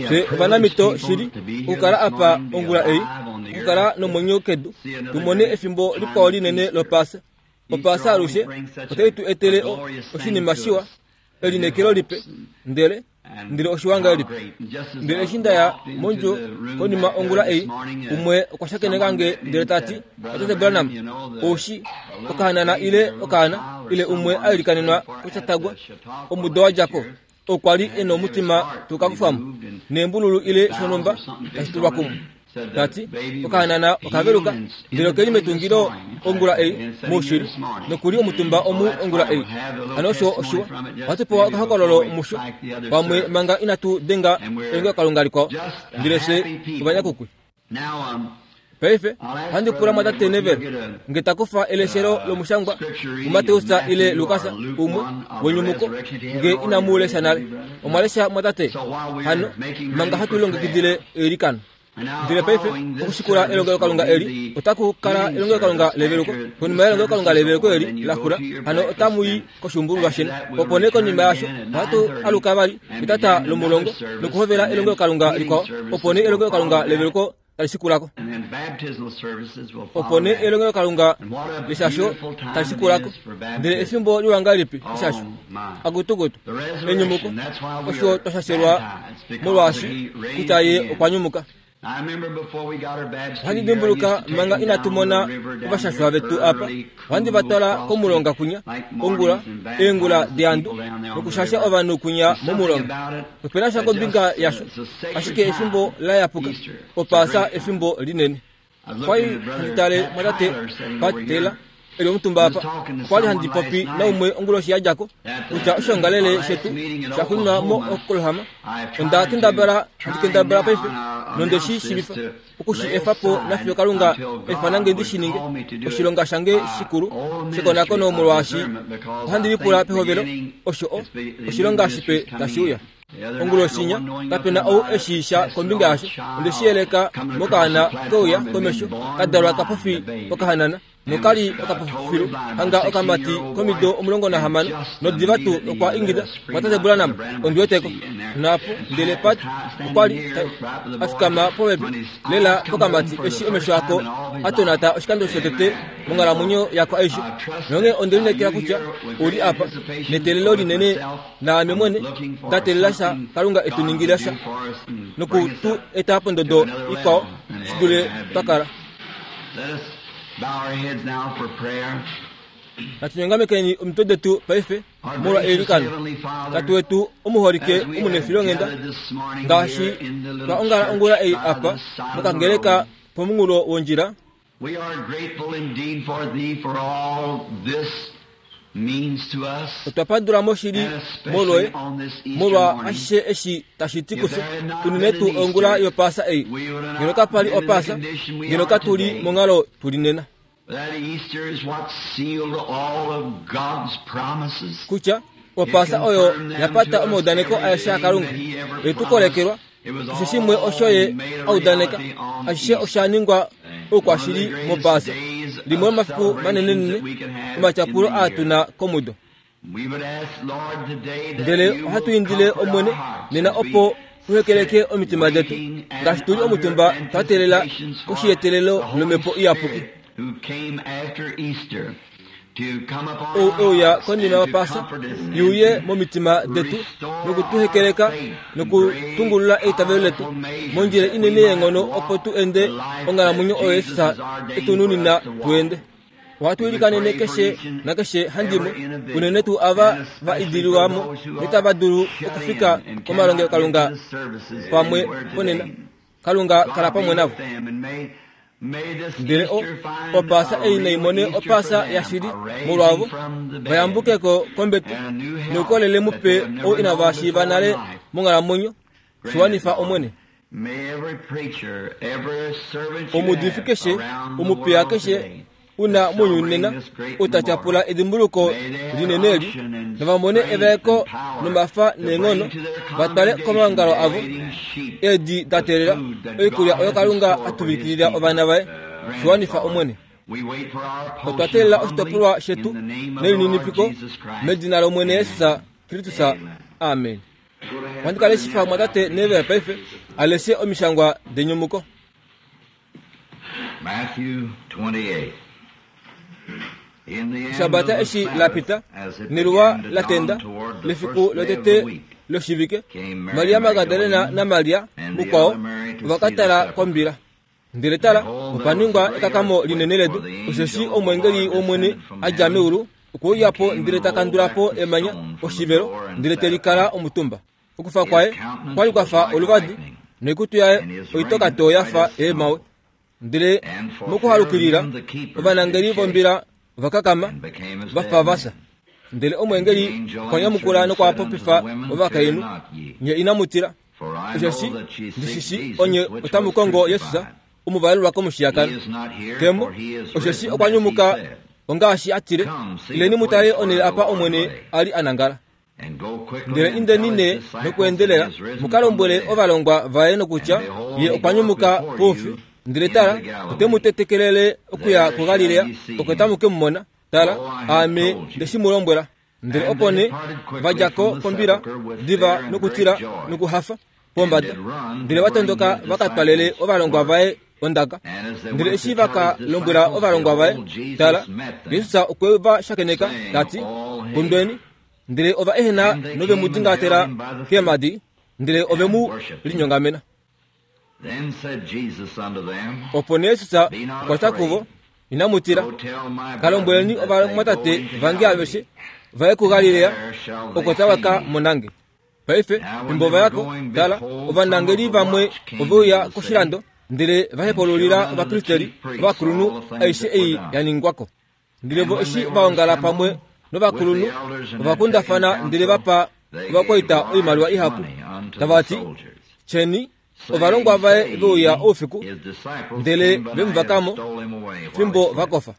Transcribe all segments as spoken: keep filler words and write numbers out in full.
Fye ovanamito shili okukala apa ongula ei, okukala nomwenyo kedu, tumone efimbo likwao linene lOpaasa. Opaasa alushe otai tu etele oshinima shiwa, elineekelo lipe, ndele ndele oshiwanga lipe. Ndele eshi nda ya mondjo konima ongula ei, umwe okwa shakeneka nge ndele ta ti, Tate Branham, oushi okahanana ile okaana ile umwe a ilikanenwa koshatagwa omudo wa dja ko, okwa li e nomutima tukakufamo neembululu ile shonhumba tashi tulwa kumwe. Ta ti okahanana okaveluka ndele okeli metungilo ongula ei moushili nokuli omutumba omu ongula ei. Hano osho oshiwa, ohatu pewa okahokololo musho pamwe manga inatu denga elongelokalunga likwao, ndele fye ovanyakukwi. Paife ohandi pula mwatate Neville nge ta kufa eleshelo lomushangwa muMateus ile Lukas umwe wenyumuko nge inamu lesha nale. Omwa lesha mwatate? Hano manga hatu longekidile eilikano. Ndele paife okushikula elongelokalunga eli otaku kala elongelokalunga leveluko. Konima yelongelokalunga leveluko eli la xula, hano otamu i koshuumbululwa sheni. Opo nee konima yasho ohatu aluka vali etata lomulongo nokuhovela elongelokalunga likwao. Opo nee elongelokalunga leveluko tali shikulako. Opo nee elongelokalunga leshasho tali shikulako. Ndele efimbo liwa ngahelipi eshasho? Akutukutu enyumuko osho twa shashelwa molwaashi kutya ye okwa nyumuka. Ohandi dimbuluka manga inatu mona ovashashwa vetu apa, ohandi va twala komulonga kwinya ongula eengula deandu nokushasha ovanhu kwinya momulonga. Opena sha kombinga yasho, ashike efimbo la yapuka, Opaasa efimbo linene. Okwali handi tale mwatate Pat Taylor eli omutumba apa. Okwali handi popi naumwe onguloshi ya djako kutya oshoongalele shetu sha xuninwa mo-Oklahoma. Onda kendabala handi kendabala paife nonde shi shiivifa okushi efa po nafiyo Kalunga efana nge ndi shi ninge oshilonga shange shikulu shekonakono, molwaashi ohandi lipula pehovelo osho o oshilonga shipe tashi uya. Onguloshinya kapena ou eshi sha kombinga yasho. Onde shi yeleka mokaana keuya komesho ka dalwa kapofi okahanana nokali okapofilu hanga okamati komido omulongo nahamano, nodiva tuu okwa ingida mwatate Branham ondi weteko. Naapo ndele Pat okwa li a fikama popepi lela pokamati eshi omesho ako a tonata oshikando shotete monghalamwenyo yako aishe. Nonghee onde lineekela kutya ou li apa neteelelo linene naame mwene nda teelela sha Kalunga etu ningila sha noku tu eta pondodo ikwao shi dule twa kala. Natu nyongamekeni omitwe detu paife molwa eilikano. Tate wetu omuholike omunefilonghenda, ngaashi twa ongala ongula ei apa mokangeleka pomunghulo wondjila, We are grateful indeed for thee for all this means to us, otwa pandula moshili and especially molwoye on this Easter molwa morning. ashishe eshi tashi ti If kufye, there had not unene been tuu an ongula Easter, yopaasa ei. we would have Ngeno not kapa li been in the opaasa, condition we ngeno are katuli today. monghalo tuli nena. That Easter is what sealed all of God's promises. Kutya It opaasa oyo confirmed them ya pata to us omaudaneko aeshe everything aKalunga. that He ever Ye tu promised. kolekelwa It was keshe shimwe osho all ye made a a udaneka, reality on ashishe Easter. osha ningwa One of the oukwashili greatest mopaasa. days Limwe of lomafiku celebrations manenenene that we can have in omatyapulo the aa year. tuna komudo. We would ask, Lord, today that Ndele you ohatu will indile comfort Omwene our hearts nena as we opo uhekeleke sit omitima detu waiting and ngaashi tuli under omutumba twa teelela anticipations for koshiyetelelo the Holy lomhepo iyapuki. Spirit who came after Easter to come upon Ou our euya hearts konima and to yopaasa comfort us and iuye to momitima detu restore our nokutuhekeleka faith in great nokutungulula eitavelo letu powerful measures mondjila that we inene might yeenghono opo walk tu the ende life that onghalamwenyo oyo Jesus Jesus has ordained etu for nunina us to walk. tu ende. Ohatu We would ilikanene pray for keshe each and nakeshe handimwe, every individual, unene tuu ava and va especially for idililwamo those who notava are dulu shut okufika in and cannot get to komalongelokalunga the services pamwe anywhere ponena. today. Kalunga kala God pamwe be with navo. them, and may may this Ndele o Easter find opaasa a ei nai real mone Easter for opaasa them, yashili a raising molwavo from the dead vayambukeko kombete and a new health noukolele that mupe they have ou never inava known shiiva before in nale life. monghalamwenyo. Grant it, Shiwanifa Lord. Omwene. May every preacher, every servant you Omuudifi have keshe, around the omupiya world keshe today una that's mounyuni celebrating nena this great ou ta memorial, tyapula edimbuluko may they have linene eli, unction and nava mone strength evaeko and power nomafa to neenghono bring to their va twale congregations komaongalo the avo waiting sheep eedi da the teelela food that oikulya God oyo has in Kalunga store a for His tuvikilila people. ovana vaye. Grant it, Shiwanifa Lord. Omwene. We wait for our Otwa portion teelela humbly oshitopolwa in shetu the name of the Lord nelininipiko Jesus Christ. medina lOmwene Amen. Jesus Kristus. Amen. Amen. Ohandi ka leshifa mwatate Neville paife aleshe omishangwa denyumuko. Eshabata eshi la pita, neluwa la tenda, lefiku lotete loshivike, Maria Magdalena naMaria mukwao ova ka tala kombila. Ndele tala, opa ningwa ekakamo linene ledu, osheshi omweengeli wOmwene a dja meulu okwe uya po ndele ta kandula po emanya oshivelo, ndele te likala omutumba. Okufa kwaye kwali kwafa oluvadi, noikutu yaye oitoka too yafa eemawe. Ndele mokuhalukilila ovanangeli vombila ova kakama vafa vasa. Ndele omweengeli okwa nyamukula nokwa popifa ovakainhu, nye inamu tila, osheshi ndishishi onye otamu kongo Jesus omuvalelwa komushiyakano. Kemo, osheshi okwa nyumuka ongaashi a tile, ileni mu tale onhele apa Omwene a li a nangala. Ndele indeni ne nokweendelela mu ka lombwele ovalongwa vaye nokutya ye okwa nyumuka poufi. Ndele tala, ote mu tetekelele okuya kuGalilea, oko tamu ke mu mona. Tala, aame nde shi mu lombwela. Ndele opo nee va dja ko kombila diva nokutila nokuhafa pombada, ndele va tondoka va ka twalele ovalongwa vaye ondaka. Ndele eshi va ka lombwela ovalongwa vaye, tala, Jesus okwe va shakeneka ta ti, kundweni. Ndele ova ehena nove mu dingatela keemhadi, ndele ove mu linyongamena. Opo nee Jesus okwa tya kuvo, inamu tila, ka lombweleni ovamwatate vange aveshe vaye kuGalilea, oko tava ka monange. Paife fimbo va yako, tala, ovanangeli vamwe ove uya koshilando, ndele va hepaululila ovapristeli ovakulunhu aishe ei ya ningwako. Ndele vo eshi va ongala pamwe novakulunhu, ova kundafana ndele va pa ovakwaita oimaliwa ihapu, tava ti, tyeni, ovalongwa vaye ve uya oufiku, ndele ve mu vakamo fimbo va kofa.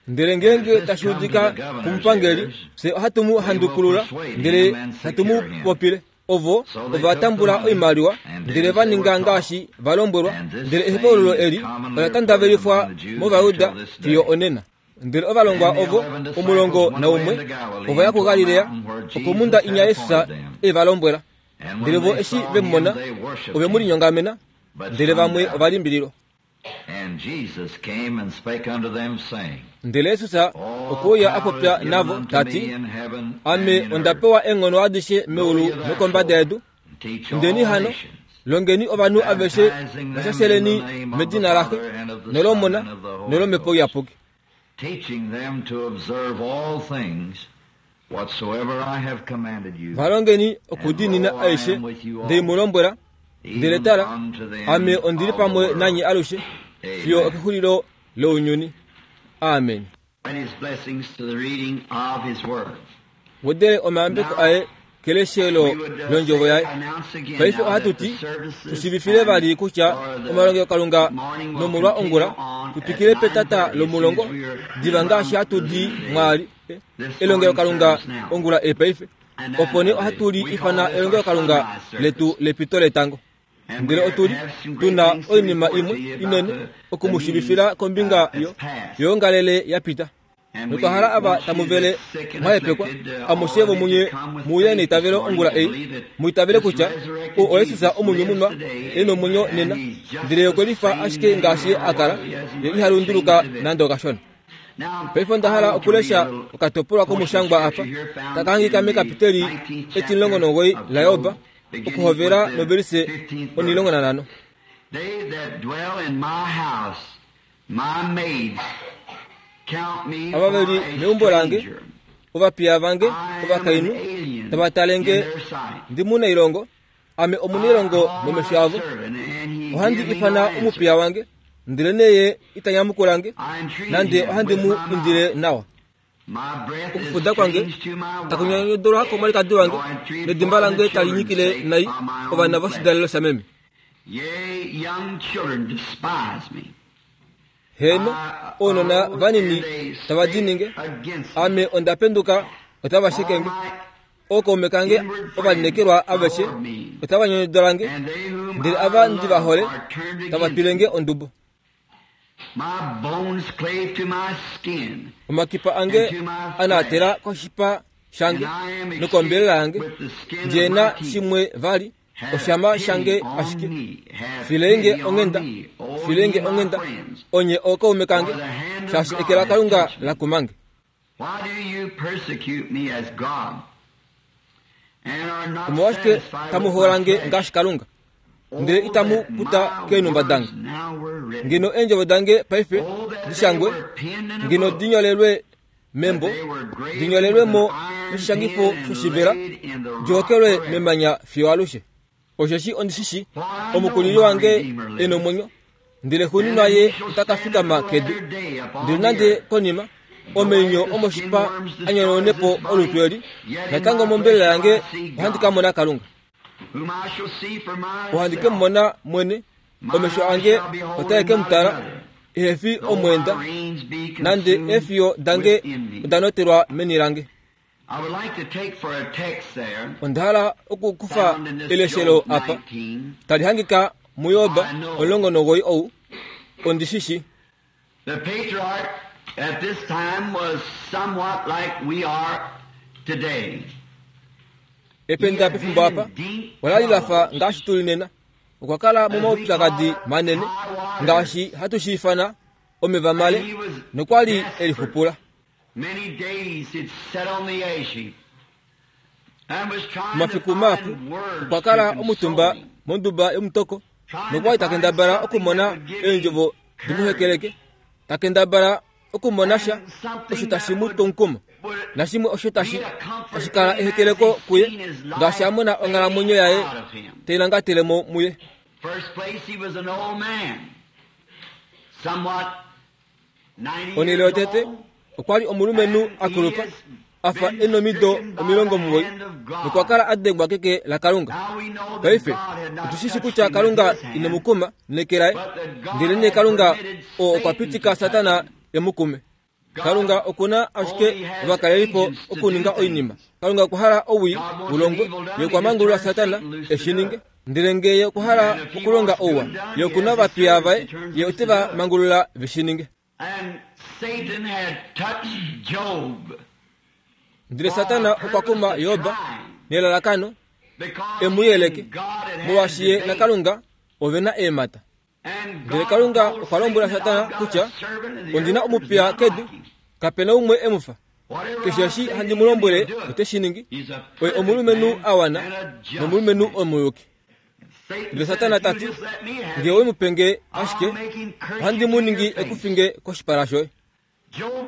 Ndele ngeenge tashi udika komupangeli, fye ohatu mu handukulula, ndele hatu mu popile. Ovo ova tambula oimaliwa, ndele va ninga ngaashi va lombwelwa. Ndele ehepaululo eli ola tandavelifwa mOvayuda fiyo onena. Ndele ovalongwa ovo omulongo naumwe ova ya kuGalilea, okomhunda inya Jesus e va lombwela. Ndele vo eshi ve mu mona, ove mu linyongamena, ndele vamwe ova limbililwa. Ndele Jesus okwe uya a popya navo ta ti, ame onda pewa eenghono adishe meulu nokombada yedu. Indeni hano, longeni ovanhu aveshe, vashasheleni medina laXe nolOmona nolOmhepo Iyapuki, valongeni okudiinina aishe ndei mu lombwela. Ndele tala, ame ondi li pamwe nanye alushe fiyo okexulilo lounyuni. Amen. Wedele omayambeko aye keleshelo londjovo yaye. Paife ohatu ti tushivifile vali kutya omalongelokalunga nomolwa ongula tutwikile petata lomulongo diva ngaashi hatu di mwaali elongelokalunga ongula epaife. Opo nee ohatu li ifana elongelokalunga letu lepito letango. Ndele otuli tuna oinima imwe inene okumushivifila kombinga yo yoongalele ya pita. Notwa hala ava tamu vele mwahepekwa amushe vomunye muuye neitavelo ongula ei, muitavele kutya o oYesus omunyumunwa e nomwenyo nena, ndele okwe lifa ashike ngaashi a kala, ye iha lunduluka nande okashona. Paife onda hala okulesha okatopolwa komushangwa apa taka hangika mekapiteli etimulongo nomugoyi laJob, okuhovela novelise onilongo nanhano. Ava ve li meumbo lange, ovapiya vange ovakainhu tava tale nge ndi munailongo, ame omunailongo momesho avo. Ohandi ifana omupiya wange, ndele neye ita nyamukula nge, nande ohandi mu indile nawa. Okufuda kwange taku nyanyodolwa komwalikadi wange, nedimba lange tali nyikile nai ovana voshidalelo shameme. Heeno, ounona vanini tava dininge, ame onda penduka otava shekenge. Ookaume kange ovalinekelwa aveshe otava nyonyodola nge, ndele ava ndi va hole tava twile nge ondubo. Omakipa ange anaatela koshipa shange nokombelela yange ndjena shimwe vali oshama shange ashike filenge onghenda filenge onghenda onye ookaume kange shaashi eke laKalunga lakumange. Omolwashike tamu holange ngaashi Kalunga ndele itamu kuta keenhumba dange? Ngeno eendjovo dange paife dishangwe, ngeno dinyolelwe membo, dinyolelwe mo moshishangifo shoshivela, dihokelwe memanya fiyo alushe. Osheshi ondishishi omukulili wange e nomwenyo, ndele xuuninwa ye ota ka fikama kedu. Ndele nande konima omeinyo omoshipa a nyonaune po olutu eli, natango mombelela yange ohandi ka mona Kalunga. Ohandi ke mu mona mwene, omesho ange otae ke mu tala, ehe fi omweenda, nande eefiyo dange oda notelwa meni lange. Onda hala okukufa eleshelo apa tali hangika muJob omulongo nomugoyi ou ondishishi. The patriarch at this time was somewhat like we are today. Ependa pefimbo apa ola li lafa ngaashi tuli nena. Okwa kala momaupyakadi manene ngaashi hatu shi ifana omeva male, nokwa li e lixupula. Omafiku mahapu okwa kala omutumba monduba yomutoko, nokwa li ta kendabala okumona eendjovo di mu hekeleke, ta kendabala okumona sha osho tashi mu tu omukumo, nashimwe osho tashi tashi kala ehekeleko kuye ngaashi a mona onghalamwenyo yaye tai langatele mo muye. Onhele yotete okwa li omulumenhu a kulupa a fa e nomido omilongo omugoyi, nokwa kala a dengwa keke laKalunga. Paife otu shi kutya Kalunga ine mu kuma neke laye, ndelenee Kalunga oo okwa pitika Satana e mu kume. Kalunga okuna ashike ovakalelipo okuninga oinima. Kalunga okwa hala owii ulongwe, ye okwa mangulula Satana e shi ninge. Ndele ngee ye okwa hala okulonga ouwa, ye okuna ovapiya vaye, ye ote va mangulula ve shi ninge. Ndele Satana okwa kuma Job nelalakano e mu yeleke, molwaashi ye naKalunga ove na eemhata. Ndele Kalunga okwa lombwela Satana kutya ondina omupiya kedu, kapena umwe e mu fa. Keshe eshi handi mu lombwele ote shi ningi. Oye omulumenhu a wana nomulumenhu omuyuki. Ndele Satana ta ti, ngee owe mu pe nge ashike, ohandi mu ningi ekufinge koshipala shoye. Job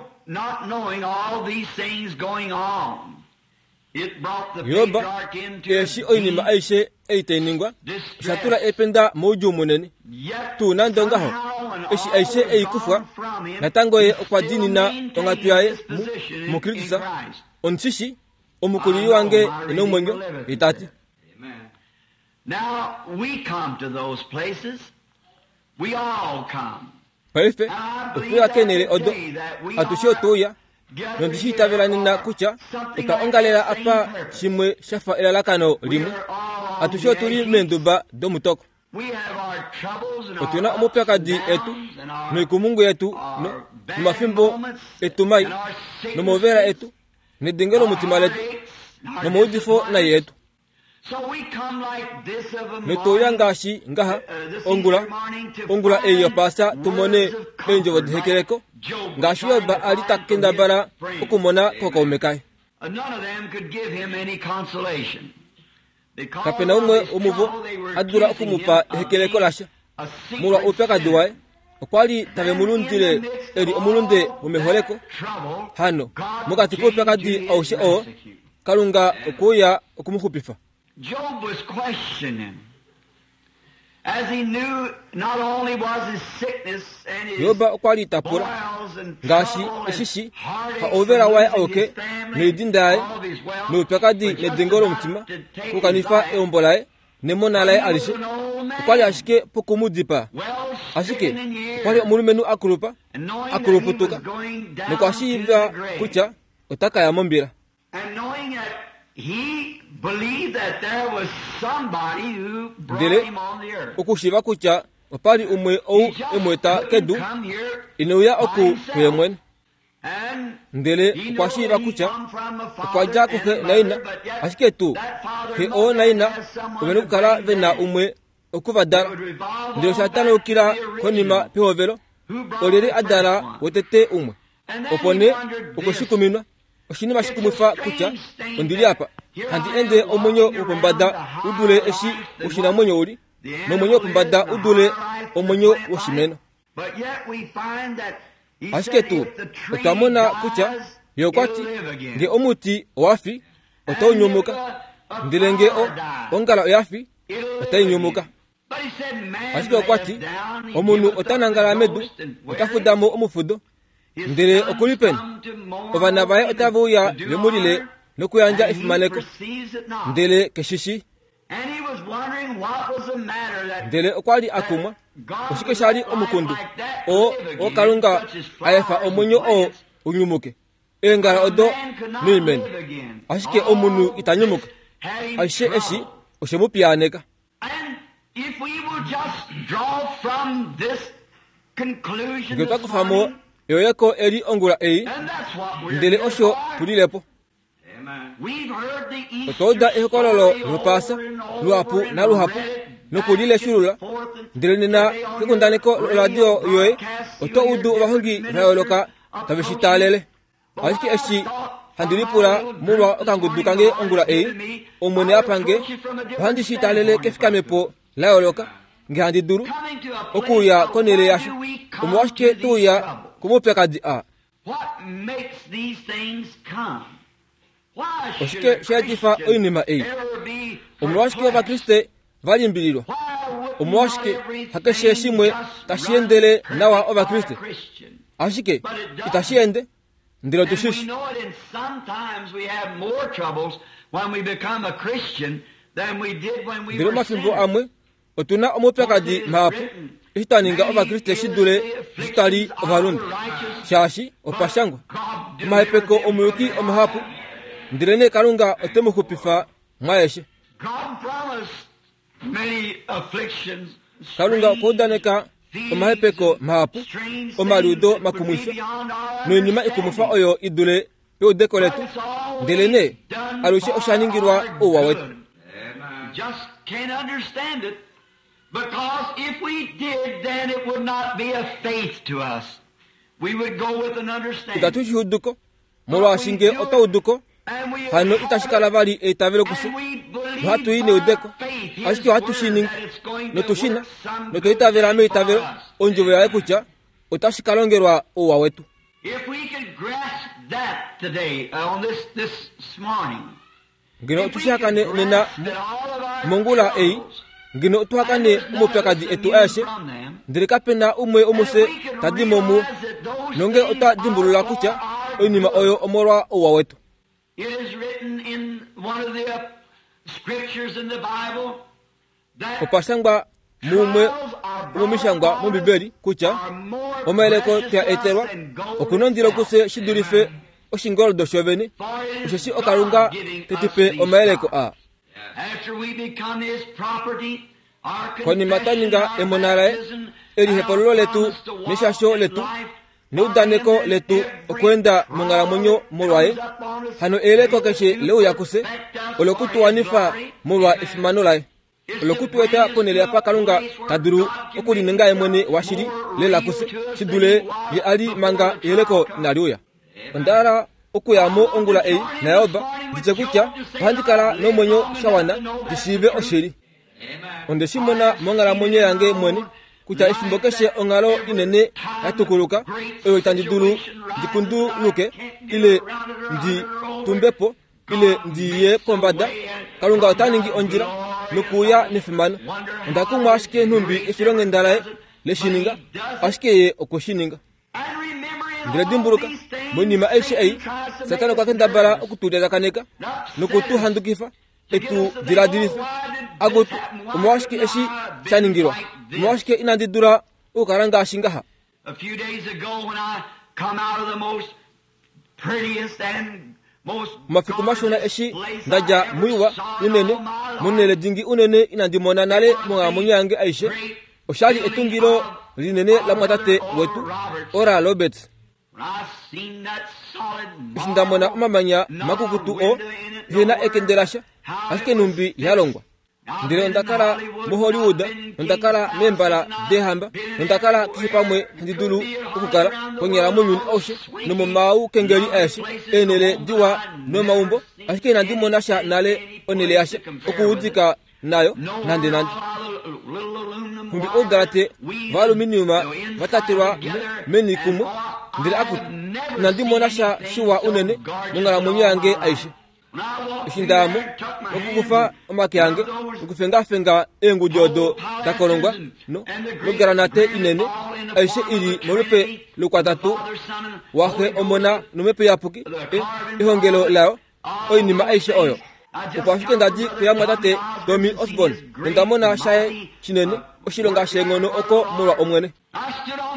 eshi oinima aishe ei tai ningwa, osha tula ependa moudjuu munene. Tuu nande ongaho, eshi aishe ei kufwa, natango ye okwa diinina onghatu yaye mu muKristus. Ondishishi omukulili wange e nomwenyo, ye ta ti. Paife otwe keenhele odo, atushe otwe uya, nondishi itavela nena kutya otwa ongalela apa shimwe sha fa elalakano limwe. Atushe otuli meenduba domutoko. Otuna omaupyakadi etu noikumungu yetu nomafimbo etu mai nomauvela etu nedenge lomutima letu nomaudifo nai etu. Notouya ngaashi ngaha ongula ongula ei yopaasa tumone eendjovo dehekeleko ngaashi Job a li ta kendabala okumona kokaume kaye. Kapena umwe womuvo a dula okumupa ehekeleko lasha molwa oupyakadi waye. Okwa li tave mu lundile e li omulunde womeholeko. Hano mokati koupyakadi aushe oo, Kalunga okwe uya okumuxupifa. Job was questioning, as he knew not only was his sickness and his Job okwa li ta pula ngaashi eshishi ha ouvela waye auke noidinda yaye noupyakadi nedengo lomutima okukanifa eumbo laye nemona laye alishe, okwa li ashike pokumudipaa. Ashike okwa li omulumenhu a kulupa, a kuluputuka, nokwa shiiva kutya ota ka ya mombila. Ndele okushiiva kutya opa li umwe ou e mu eta kedu, ine uya oku kuye mwene. Ndele okwa shiiva kutya okwa dja kuxe naina, ashike tuu xe oo naina ove na okukala ve na umwe okuvadala. Ndele osha tanaukila konima pehovelo, olyelye a dala wotete umwe. Opo nee okwe shi kuminwa. Oshinima shikumwifa kutya ondili apa handi ende omwenyo wopombada u dule eshi woshinamwenyo uli, nomwenyo wopombada u dule omwenyo woshimeno. Ashike tuu otwa mona kutya ye okwa ti nge omuti owa fi otau nyumuka, ndele nge ongala oya fi otai nyumuka. Ashike okwa ti omunhu ota nangala medu, ota fuda mo omufudo, ndele okuli peni? Ovana vaye otava uya vemulile nokuyandja efimaneko, ndele keshishi. Ndele okwa li a kumwa, oshike sha li omukundu oo oo Kalunga a efa omwenyo oo unyumuke, eengala odo noimeno, ashike omunhu ita nyumuka. Aishe eshi oshe mu piyaaneka. Nge otwa kufa mo eyoyeko eli ongula ei, ndele osho tulilepo. Otwa uda ehokololo lopaasa luhapu naluhapu nokulileshulula, ndele nena kekundaneko loradio yoye oto udu ovahongi va yooloka tave shi taalele. Ashike eshi handi lipula molwa okangudu kange ongula ei, Omwene a pange, ohandi shi taalele kefikamepo la yooloka nge handi dulu okuuya konhele yasho. Omolwashike tuuya komaupyakadi aa? Oshike sha etifa oinima ei? Omolwashike Ovakriste va limbililwa? Omolwashike hakeshe shimwe tashi endele nawa Ovakriste? Ashike itashi ende, ndele otu shi shi. Ndele omafimbo amwe otu na omaupyakadi mahapu eshi twa ninga Ovakriste shi dule eshi twa li ovalunde, shaashi opa shangwa omahepeko omuyuki omahapu, ndele nee Kalunga ote mu xupifa mwaeshe. Kalunga okwa udaneka omahepeko mahapu, omaliudo makumwifa noinima ikumwifa oyo i dule peudeko letu, ndele nee alushe osha ningilwa ouwa wetu. Itatu shi uduko, molwaashi nge otwa uduko, hano itashi kala vali eitavelo kufye. Ohatu i neudeko, ashike ohatu shi ningi notu shi na, notwa itavela meitavelo ondjovo yaye kutya otashi ka longelwa ouwa wetu. Ngeno otu shi hakane nena mongula ei, ngeno otu hakane omaupyakadi etu aeshe, ndele kape na umwe womufye ta di mo muo, nonge otwa dimbulula kutya oinima oyo omolwa ouwa wetu. Opa shangwa mumwe womomishangwa mOmbibeli kutya omayeleko twa etelwa oku na ondilo kufye shi dulife oshingoldo shovene, osheshi oKalunga te tu pe omayeleko aa. Konima twa ninga emona laye, elihepululo letu neshasho letu neudaneko letu okweenda monghalamwenyo molwaye, hano eyeleko keshe leuya kufye olokutuwanifa molwa efimano laye, olokutueta ponhele apa Kalunga ta dulu okulininga ye mwene washili lela kufye shi dule ye a li manga eyeleko inali uya. Onda hala okuya mo ongula ei naYoba nditye kutya ohandi kala nomwenyo sha wana ndi shiive oshili. Onde shi mona monghalamwenyo yange mwene kutya efimbo keshe onghalo inene ya tukuluka oyo itandi dulu ndi kunduluke ile ndi tumbepo ile ndi ye pombada, Kalunga ota ningi ondjila nokuuya nefimano. Onda kumwa ashike nhumbi efilonghenda laye le shi ninga, ashike ye okwe shi ninga. Ndele dimbuluka, moinima aishe ei, Satana okwa kendabala okutu lyakaneka nokutu handukifa, etu diladilife. Akutu, omolwashike eshi sha ningilwa? Omolwashike inandi dula okukala ngaashi ngaha? Omafiku mashona eshi ndadja muiwa unene, monhele dingi unene inandi mona nale monghalamwenyo yange aishe, oshali etungilo linene lamwatate wetu Oral Roberts. Eshi nda mona omamanya makukutu oo ehena ekende lasha, ashike numbi ya longwa. Ndele onda kala moHollywood, nonda kala meembala deehamba, nonda kala keshe pamwe handi dulu okukala konyala mounyuni aushe nomomaukengeli aeshe, eenhele diwa nomaumbo, ashike inandi mona sha nale onhele yasha okuudika nayo nande nande. Nhumbi oudalate vaaluminiuma vatatelwa meni kumwe, ndele akutu, inandi mona sha shiwa unene monghalamwenyo yange aishe. Eshi ndayamo okukufa omake ange nokufengafenga eengudi odo da kolongwa nogranate inene, aishe ili molupe lukwatatu waxe omona nomhepo iyapuki, ehongelo layo, oinima aishe oyo. Opo ashike ndadi kuyamwatate Tommy Osborn, nonda mona shaye shinene oshilonga sheenghono oko molwa Omwene.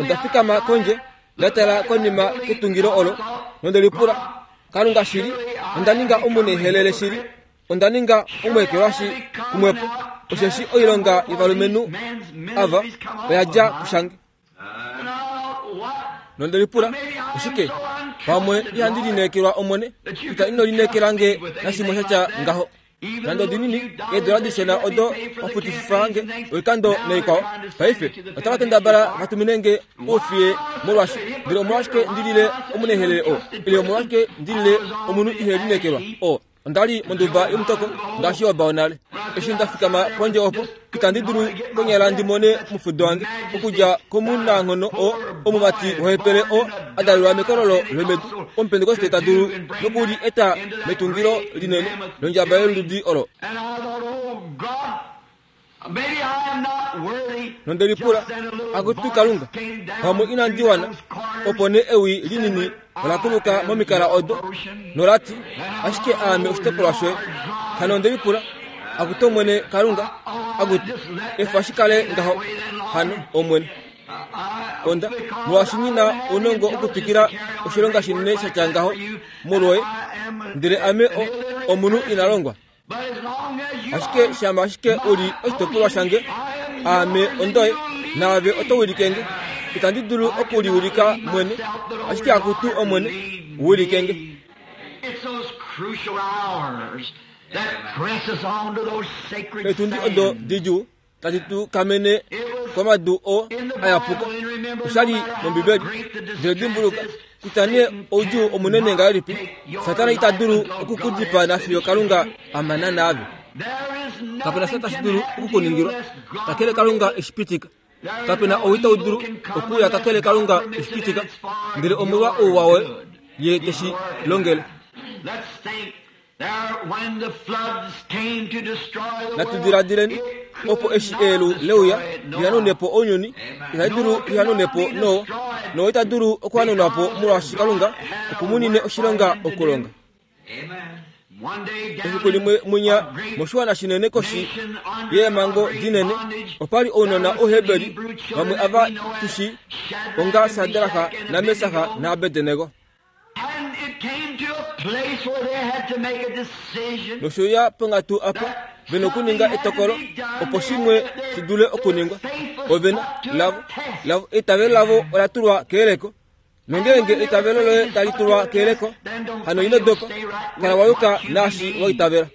Onda fikama kondje nda tala konima ketungilo olo nonde lipula, Kalunga shili, onda ninga omunehelele shili, onda ninga omweekelwashi kumwepo, osheshi oilonga yovalumenhu ava oya dja kushange. Nonde lipula, oshike pamwe ihandi lineekelwa Omwene, kutya ino lineekela nge nashimwe shatya ngaho. Nande odinini eedola dishona odo wafutififa nge oikando naikwao, paife otava kendabala vatumine nge oufiye molwaashi, ndele omolwashike ndilile omunehelele oo, ile omolwashike ndilile omunhu ihe lineekelwa oo. Onda li monduba yomutoko ngaashi oba onale. Eshi nda fikama pondje opo, itandi dulu konyala ndi mone omufudo wange okudja komunanghono oo omumati wohepele oo a dalelwa mekololo lomedu, omupentekoste ta dulu nokuli eta metungilo linene londjaba yoludi olo. Nonde lipula, akutu Kalunga, pamwe inandi wana, opo nee ewi linini ola kuluka momikala odo nolati, ashike aame oshitopolwa shoye. Hano onde lipula, akutu Omwene Kalunga, akutu efa shikale ngaho. Hano Omwene, onda molwaashi nghi na ounongo okutwikila oshilonga shinene shatya ngaho molwoye, ndele ame omunhu ina longwa. Ashike shama ashike uli oshitopolwa shange, aame ondoye, naave oto wilike nge. Itandi dulu okuliwilika mwene, ashike akutu Omwene, wilike nge. Etundi odo didjuu tadi tu kamene komadu oo ayapuka. Oshali mOmbibeli, ndele dimbuluka kutya nee oudjuu omunene ngahelipi, Satana ita dulu okukudipaa nafiyo Kalunga a mana naave. Kapena sha tashi dulu okukuningilwa kakele Kalunga eshi pitika. Kapena ou itau dulu okuuya kakele Kalunga eshi pitika, ndele omolwa ouwa woye ye teshi longele. Natu diladileni opo eshi eelu leuya lihanune po ounyuni, itali dulu lihanune po Noa, Noa ita dulu okuhanunwa po molwaashi Kalunga okumunine oshilonga okulonga. Efiku limwe munya moshiwana shinene koshi yeemhango dinene, opali ounona Ouheberi vamwe ava tushi onga Sadraka naMesaka naAbednego. Nosho ya ponghatu apa vena okuninga etokolo opo shimwe shi dule okuningwa. Ovena lavo lavo eitavelo lavo ola tulwa keyeleko. Nongeenge eitavelo loye tali tulwa keyeleko, hano ino dopa, kala wa yuka naashi wa itavela.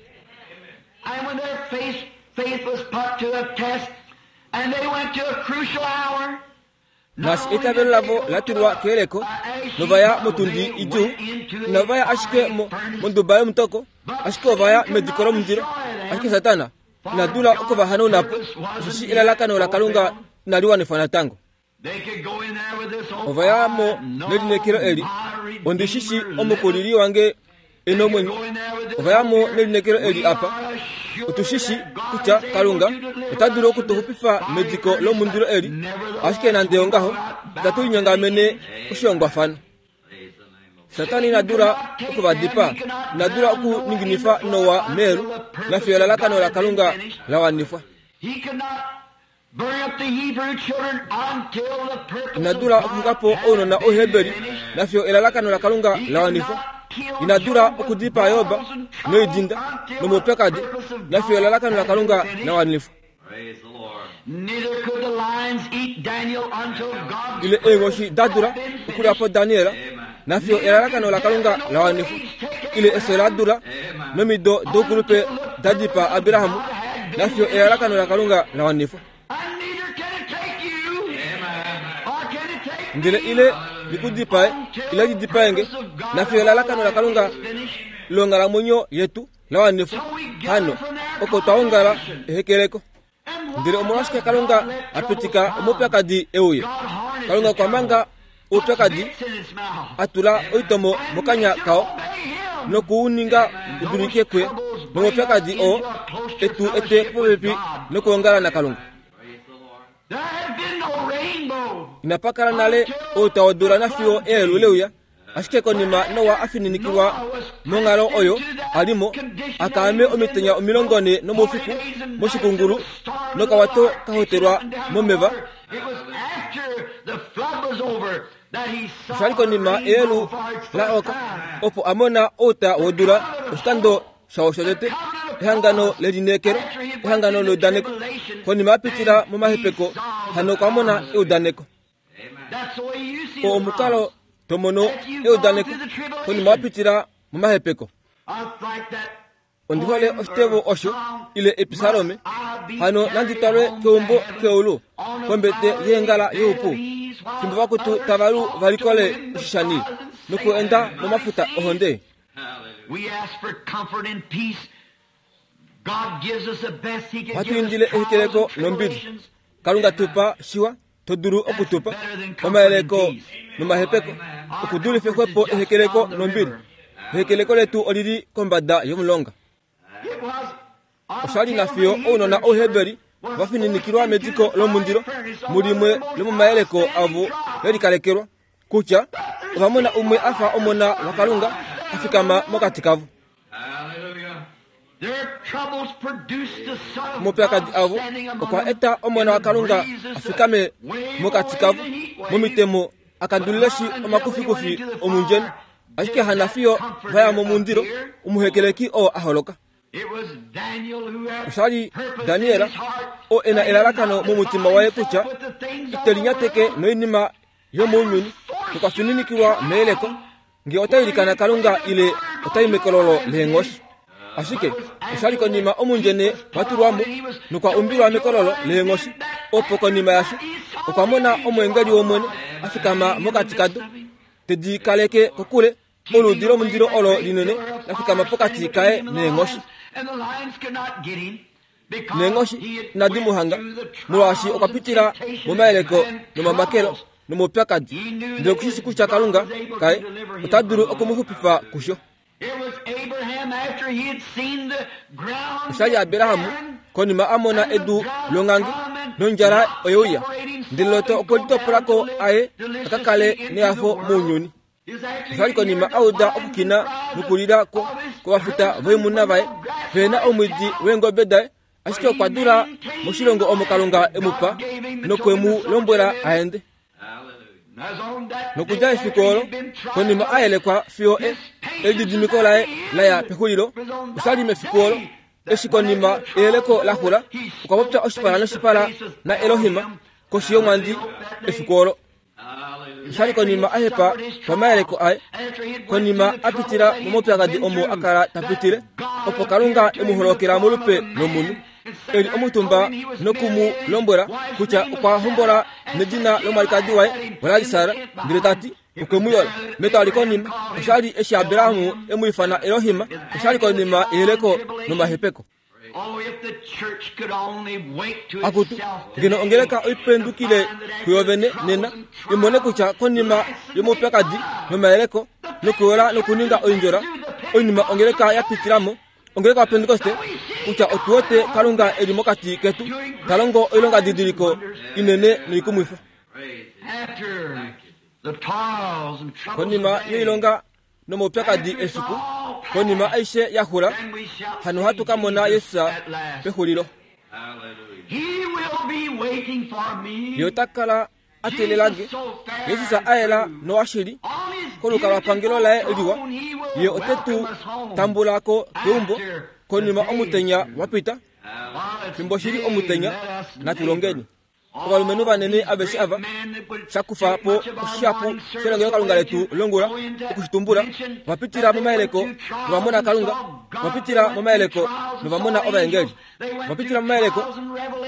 Naashi eitavelo lavo la tulwa keyeleko, novaya motundi idjuu, inava ya ashike monduba yomutoko, ashike ovaya mediko lomundilo. Ashike Satana ina dula okuvahanauna po, osheshi elalakano laKalunga inali wanifwa natango. Ovaya mo nelineekelo eli, ondi shi shi omukulili wange e nomwenyo. Ovaya mo nelineekelo eli apa, otu shi shi kutya Kalunga ota dulu okutuxupifa mediko lomundilo eli, ashike nande ongaho itatu linyongamene oshihongwafano. Satana ina dula okuvadipaa, ina dula okuninginifa Noa meelu, nafiyo elalakano laKalunga la wanifwa. Ina dula okuxuka po ounona Ouheberi, nafiyo elalakano laKalunga la wanifwa. Ina dula okudipaa Job noidinda nomaupyakadi, nafiyo elalakano laKalunga la wanifwa. Ile eenghoshi da dula okulya po Daniel, Nafiyo elalakano laKalunga la wanifwa ile efyo la dula nomido doukulupe da dipaa Abrahamu nafiyo elalakano laKalunga la wanifwa. Ndele ile likudipae ile lidipaenge nafiyo elalakano laKalunga longhalamwenyo yetu la wanifwa. Hano oko twaongala ehekeleko. Ndele omolwashike Kalunga a pitika omaupyakadi euye? Kalunga okwa manga oupyakadi a tula oitomo mokanya kao nokuuninga udulike kuye nomaupyakadi oo etu ete popepi nokuongala naKalunga. Inapa kala nale outa wodula nafiyo eelu leuya, ashike konima Noa a fininikilwa monghalo oyo alimo akaame omitenya omilongo ne nomoufiku moshikungulu nokawato kahotelwa momeva. Oshali konima eelu la oka opo a mona outa wodula oshikando shawo shotete, ehangano lelineekelo, ehangano leudaneko. Konima a pitila momahepeko, hano okwa mona eudaneko. Oo omukalo tomono eudaneko konima wa pitila momahepeko. Ondi hole oshitevo osho ile episalome hano nandi twalwe keumbo keulu kombete yeengala youpu fimbo vakutu tavalu valikole oshishani nokuenda momafuta ohonde. Ohatu indile ehekeleko nombili. Kalunga tupa shiwa todulu okutupa omayeleko nomahepeko okudulife xwepo ehekeleko nombili. Ehekeleko letu olili kombada yomulonga. Oshali nafiyo ounona ouheberi vafininikilwa mediko lomundilo mulimwe lomomayeleko avo lelikalekelwa kutya ovamona umwe afa omona waKalunga a fikama mokati kavo. Omaupyakadi avo okwa eta omona waKalunga a fikame mokati kavo momitemo akandulileshi omakufikufi omundjeni, ashike hanafiyo vaya momundilo omuhekeleki oo a holoka. Oshali Daniel oo ena elalakano momutima waye kutya ite linyateke noinima yomounyuni nokwa fininikilwa meyeleko ngee ota ilikana Kalunga ile otai mekololo leenghoshi. Ashike oshali konima omundjene watulwamo nokwa umbilwa mekololo leenghoshi opo konima yasho okwa mona omweengeli wOmwene a fikama mokati kado tedi kaleke kokule oludi lomundilo olo linene la fikama pokati kaye neenghoshi. Neenghoshi inadi mu hanga molwaashi okwa pitila momayeleko nomamakelo nomaupyakadi, ndele okushishi kutya Kalunga kaye ota dulu okumuxupifa kusho. Oshali Abrahamu konima a mona edu longange nondjala oyeuya, ndele Lot okwe litopolako aye a ka kale nehafo mounyuni. Oshali konima a uda okukina nokulila kovafuta voimuna vaye vena omwiidi weengobe daye, ashike okwa dula moshilongo omo Kalunga e mu pa nokwe mu lombwela aende. Nokudja efiku olo konima a yelekwa fiyo elididimiko laye laya pexulilo, oshali mefiku olo eshi konima eyeleko la xula okwa popya oshipala noshipala naElohim koshi yomwandi efiku olo. Oshali konima a hepa pamayeleko aye, konima a pitila momaupyakadi omo a kala ta pitile, opo Kalunga e mu holokela molupe lomunhu eli omutumba noku mu lombwela kutya okwa hombola nedina lomwalikadi waye olali Sara, ndele tati okwe mu yola. Metwali konima oshali eshi Abrahamu e mu ifana Elohim, oshali konima eyeleko nomahepeko. Akutu ngeno ongeleka oipendukile kuyovene nena imone kutya konima yomaupyakadi nomayeleko nokuyola nokuninga oindjola oinima ongeleka ya pitilamo ongeleka wa Pentekoste kutya otuwote Kalunga eli mokati ketu ta longo oilonga didiliko inene noikumwifa. Konima yoilonga nomaupyakadi efiku, konima aishe ya xula, hano hatu ka mona Jesus pexulilo. Ye ota kala a teelela nge. Jesus a yela nowashili kolukalwapangelo laye liwa, ye ote tu tambula ko keumbo konima omutenya wa pita. Fimbo shili omutenya, natu longeni. Ovalumenhu vanene aveshe ava shakufa po oshihapu shelongelokalunga letu longula okushitumbula vapitila momayeleko novamona Kalunga, vapitila momayeleko novamona ovaengeli, vapitila momayeleko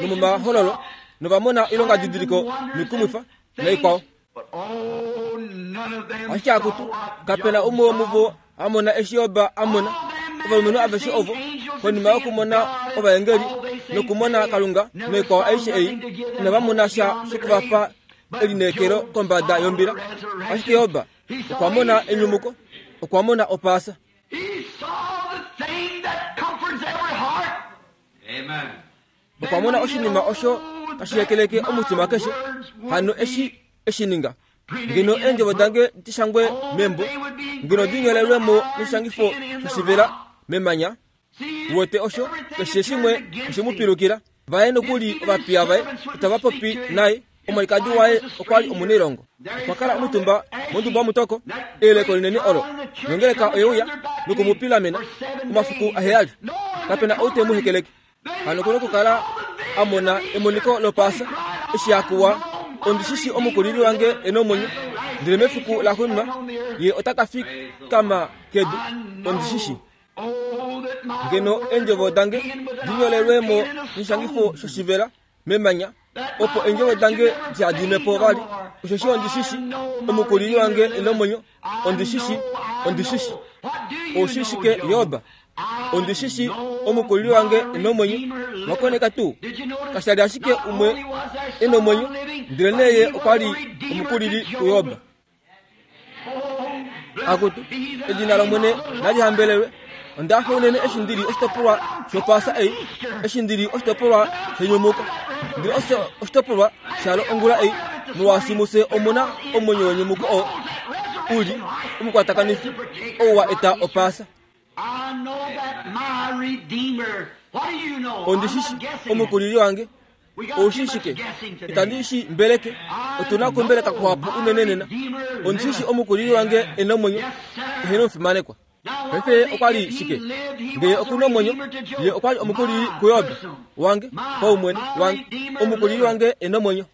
nomomahololo novamona oilonga didiliko noikumwifa naikwao. Ashike akutu kapena umwe womuvo amona eshi Job amona. Ovalumenhu aveshe ovo konima yokumona ovaengeli nokumona Kalunga noikwao aishe ei inava mona sha shokuvapa elineekelo kombada yombila. Ashike Job okwa mona enyumuko, okwa mona opaasa. Okwa mona oshinima osho tashi hekeleke omutima keshe. Hano eshi eshininga ngeno eendjovo dange dishangwe membo, ngeno dinyolelwemo noshishangifo shoshivela memanya. Wote osho keshe shimwe oshemupilukila. Vaye nokuli ovapiya vaye itava popi naye. Omwalikadi waye okwa li omunailongo, okwa kala omutumba monduba womutoko. Eyeleko linene olo nongeleka oyeuya nokumupilamena omafiku aheyali. Kapena ou te mu hekeleke. Hano kuna okukala amona emoniko lopaasa eshi akuwa ondishishi omukulili wange ena omwenyo, ndele mefiku laxuuninwa ye ota ka fikama kedu. Ondishishi ngeno eendjovo dange dinyolelwemo noshishangifo shoshivela memanya, opo eendjovo dange dihadimwe po vali. Osheshi ondishishi omukulili wange ena omwenyo. Ondishishi, ondishishi. Oushishike Job? Ondishishi omukulili wange ena omwenyo. Wakoneka tuu kashali ashike umwe ena omwenyo, ndele neye okwa li omukulili kuJob. Akutu edina lOmwene nali hambelelwe. Onda hafa unene eshi ndili oshitopolwa shopaasa ei, eshi ndili oshitopolwa shenyumuko, ndili oshitopolwa shalo ongula ei, molwaashi mufye omuna omwenyo wenyumuko oo uli omukwatakanifi ou wa eta opaasa. Ondishishi omukulili wange. Oushishike itandi shi mbeleke. Otuna okumbeleka kuhapu unene nena. Ondishishi omukulili wange ena omwenyo, ehena omufimanekwa. Paife okwa li shike? Ngee okuna omwenyo, ye okwa li omukulili kuJob wange paumwene wange. Omukulili wange ena omwenyo.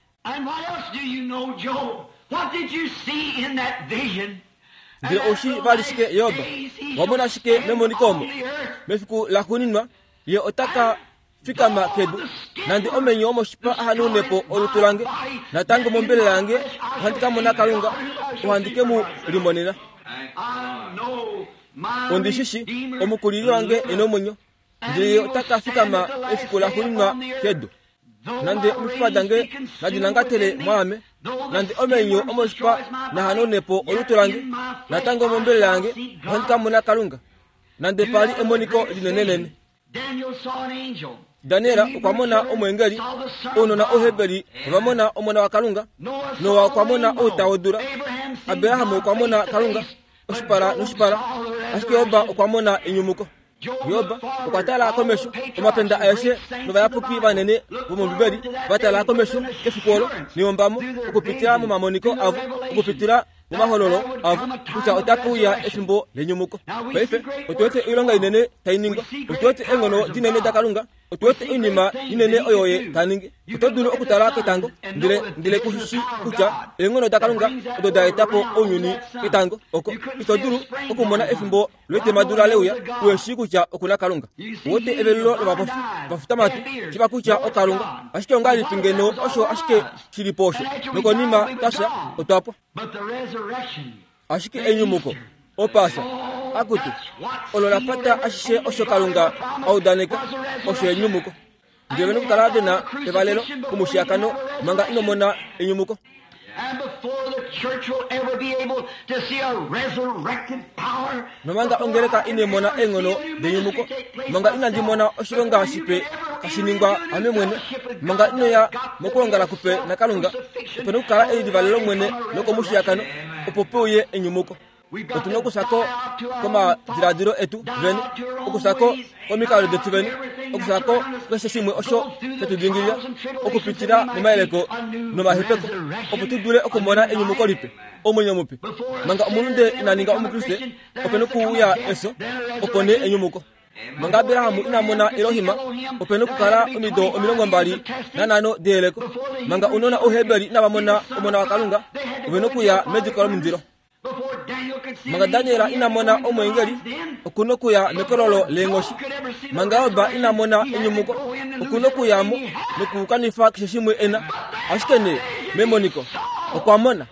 Ndele oushi vali shike Job? Wamona shike memoniko omo? Mefiku laxuuninwa ye ota ka fikama kedu. Nande omenyo omoshipa ahanune po olutu lange, natango mombelela yange ohandi ka mona Kalunga, ohandi ke mu limonena. Ondishishi omukulili wange ena omwenyo, ndele ye ota ka fikama efiku laxuuninwa kedu. Nande omifipa dange nadi nangatele mwaame, nande omenyo omoshipa nahanune po olutu lange, natango mombelela yange ohandi ka mona Kalunga. Nande pali emoniko linenenene. Daniel okwa mona omwengeli, ounona Ouheberi ova mona omona waKalunga, Noa okwa mona outa wodula, Abraham okwa mona Kalunga oshipala noshipala, ashike Job okwa mona enyumuko. Job okwa tala komesho, omapenda aeshe novayapuki vanene vomOmbibeli va tala komesho kefiku olo neyombamo okupitila momamoniko avo, okupitila momahololo avo, kutya otape uya efimbo lenyumuko. Paife otu wete oilonga inene tai ningwa, otu wete eenghono dinene daKalunga, otu wete oinima inene oyo ye ta ningi. Oto dulu okutala ketango, ndele ndele kushi kutya eenghono daKalunga odo da eta po ounyuni ketango oko. Ito dulu okumona efimbo letemadula leuya uheshi kutya okuna Kalunga. Wote evelulo lovapofi vafutamatu shiva kutya oKalunga, ashike ongahelipi ngeno osho ashike shili po osho, nokonima tasha otwapwa. Ashike enyumuko opaasa akutu olo lapata ashishe osho Kalunga audaneka, osho enyumuko. Ndele vena okukala vena evalelo kumushiyakano manga ino mona enyumuko. Nomanga ongeleka ine mona eenghono denyumuko, manga inandi mona oshilonga shipe tashi ningwa ame mwene, manga inoya mokulongala kupe naKalunga, opena okukala elivalelo mwene lokomushiyakano opo peuye enyumuko. Otuna okusako komadiladilo etu vene, okusako komikalo detu vene, okusako keshe shimwe osho shetudingilila, okupitila momayeleko nomahepeko, opo tu dule okumona enyumuko lipe, omwenyo mupe. Manga omulunde ina ninga omukriste, opena okuuya eso, opo nee enyumuko. Manga Abrahamu ina mona Elohim, ope nokukala omido omilongo mbali nanhano deyeleko. Manga unona Ouheberi inava mona omona waKalunga, ove nokuya mediko lomundilo. Manga Daniel ina mona omweengeli, okuna okuya mekololo leenghoshi. Manga Job ina mona enyumuko, okuna okuyamo nokukanifa keshe shimwe ena. Ashike nee, memoniko, okwa mona.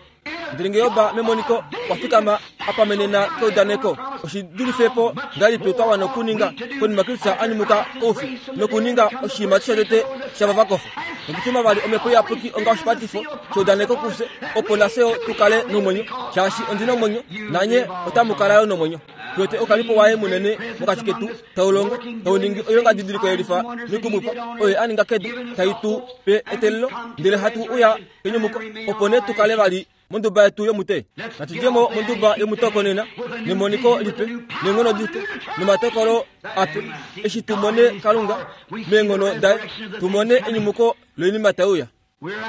Ndele nge Job memoniko okwa fikama a pamenena keudaneko, oshidulife po ngahelipi twa wana okuninga konima Kristus a nyumuka koufi nokuninga oshiimati shotete shava vakofa, nokutuma vali Omhepo Iyapuki onga oshipatifo sheudaneko kufye, opo nafye tu kale nomwenyo, shaashi ondi nomwenyo nanye otamu kala yo nomwenyo. Tuwete oukalipo waye munene mokati ketu tau longo, tau ningi oilongadidiliko yelifa noikumwifa oyo a ninga kedu, tai tu pe eteelelo, ndele hatu uya kenyumuko, opo nee tu kale vali monduba yetu yomute. Natu djemo monduba yomutoko nena, nemoniko lipe, neenghono dipe, nomatokolo ape, eshi tu mone Kalunga meenghono daye, tu mone enyumuko loinima tai uya.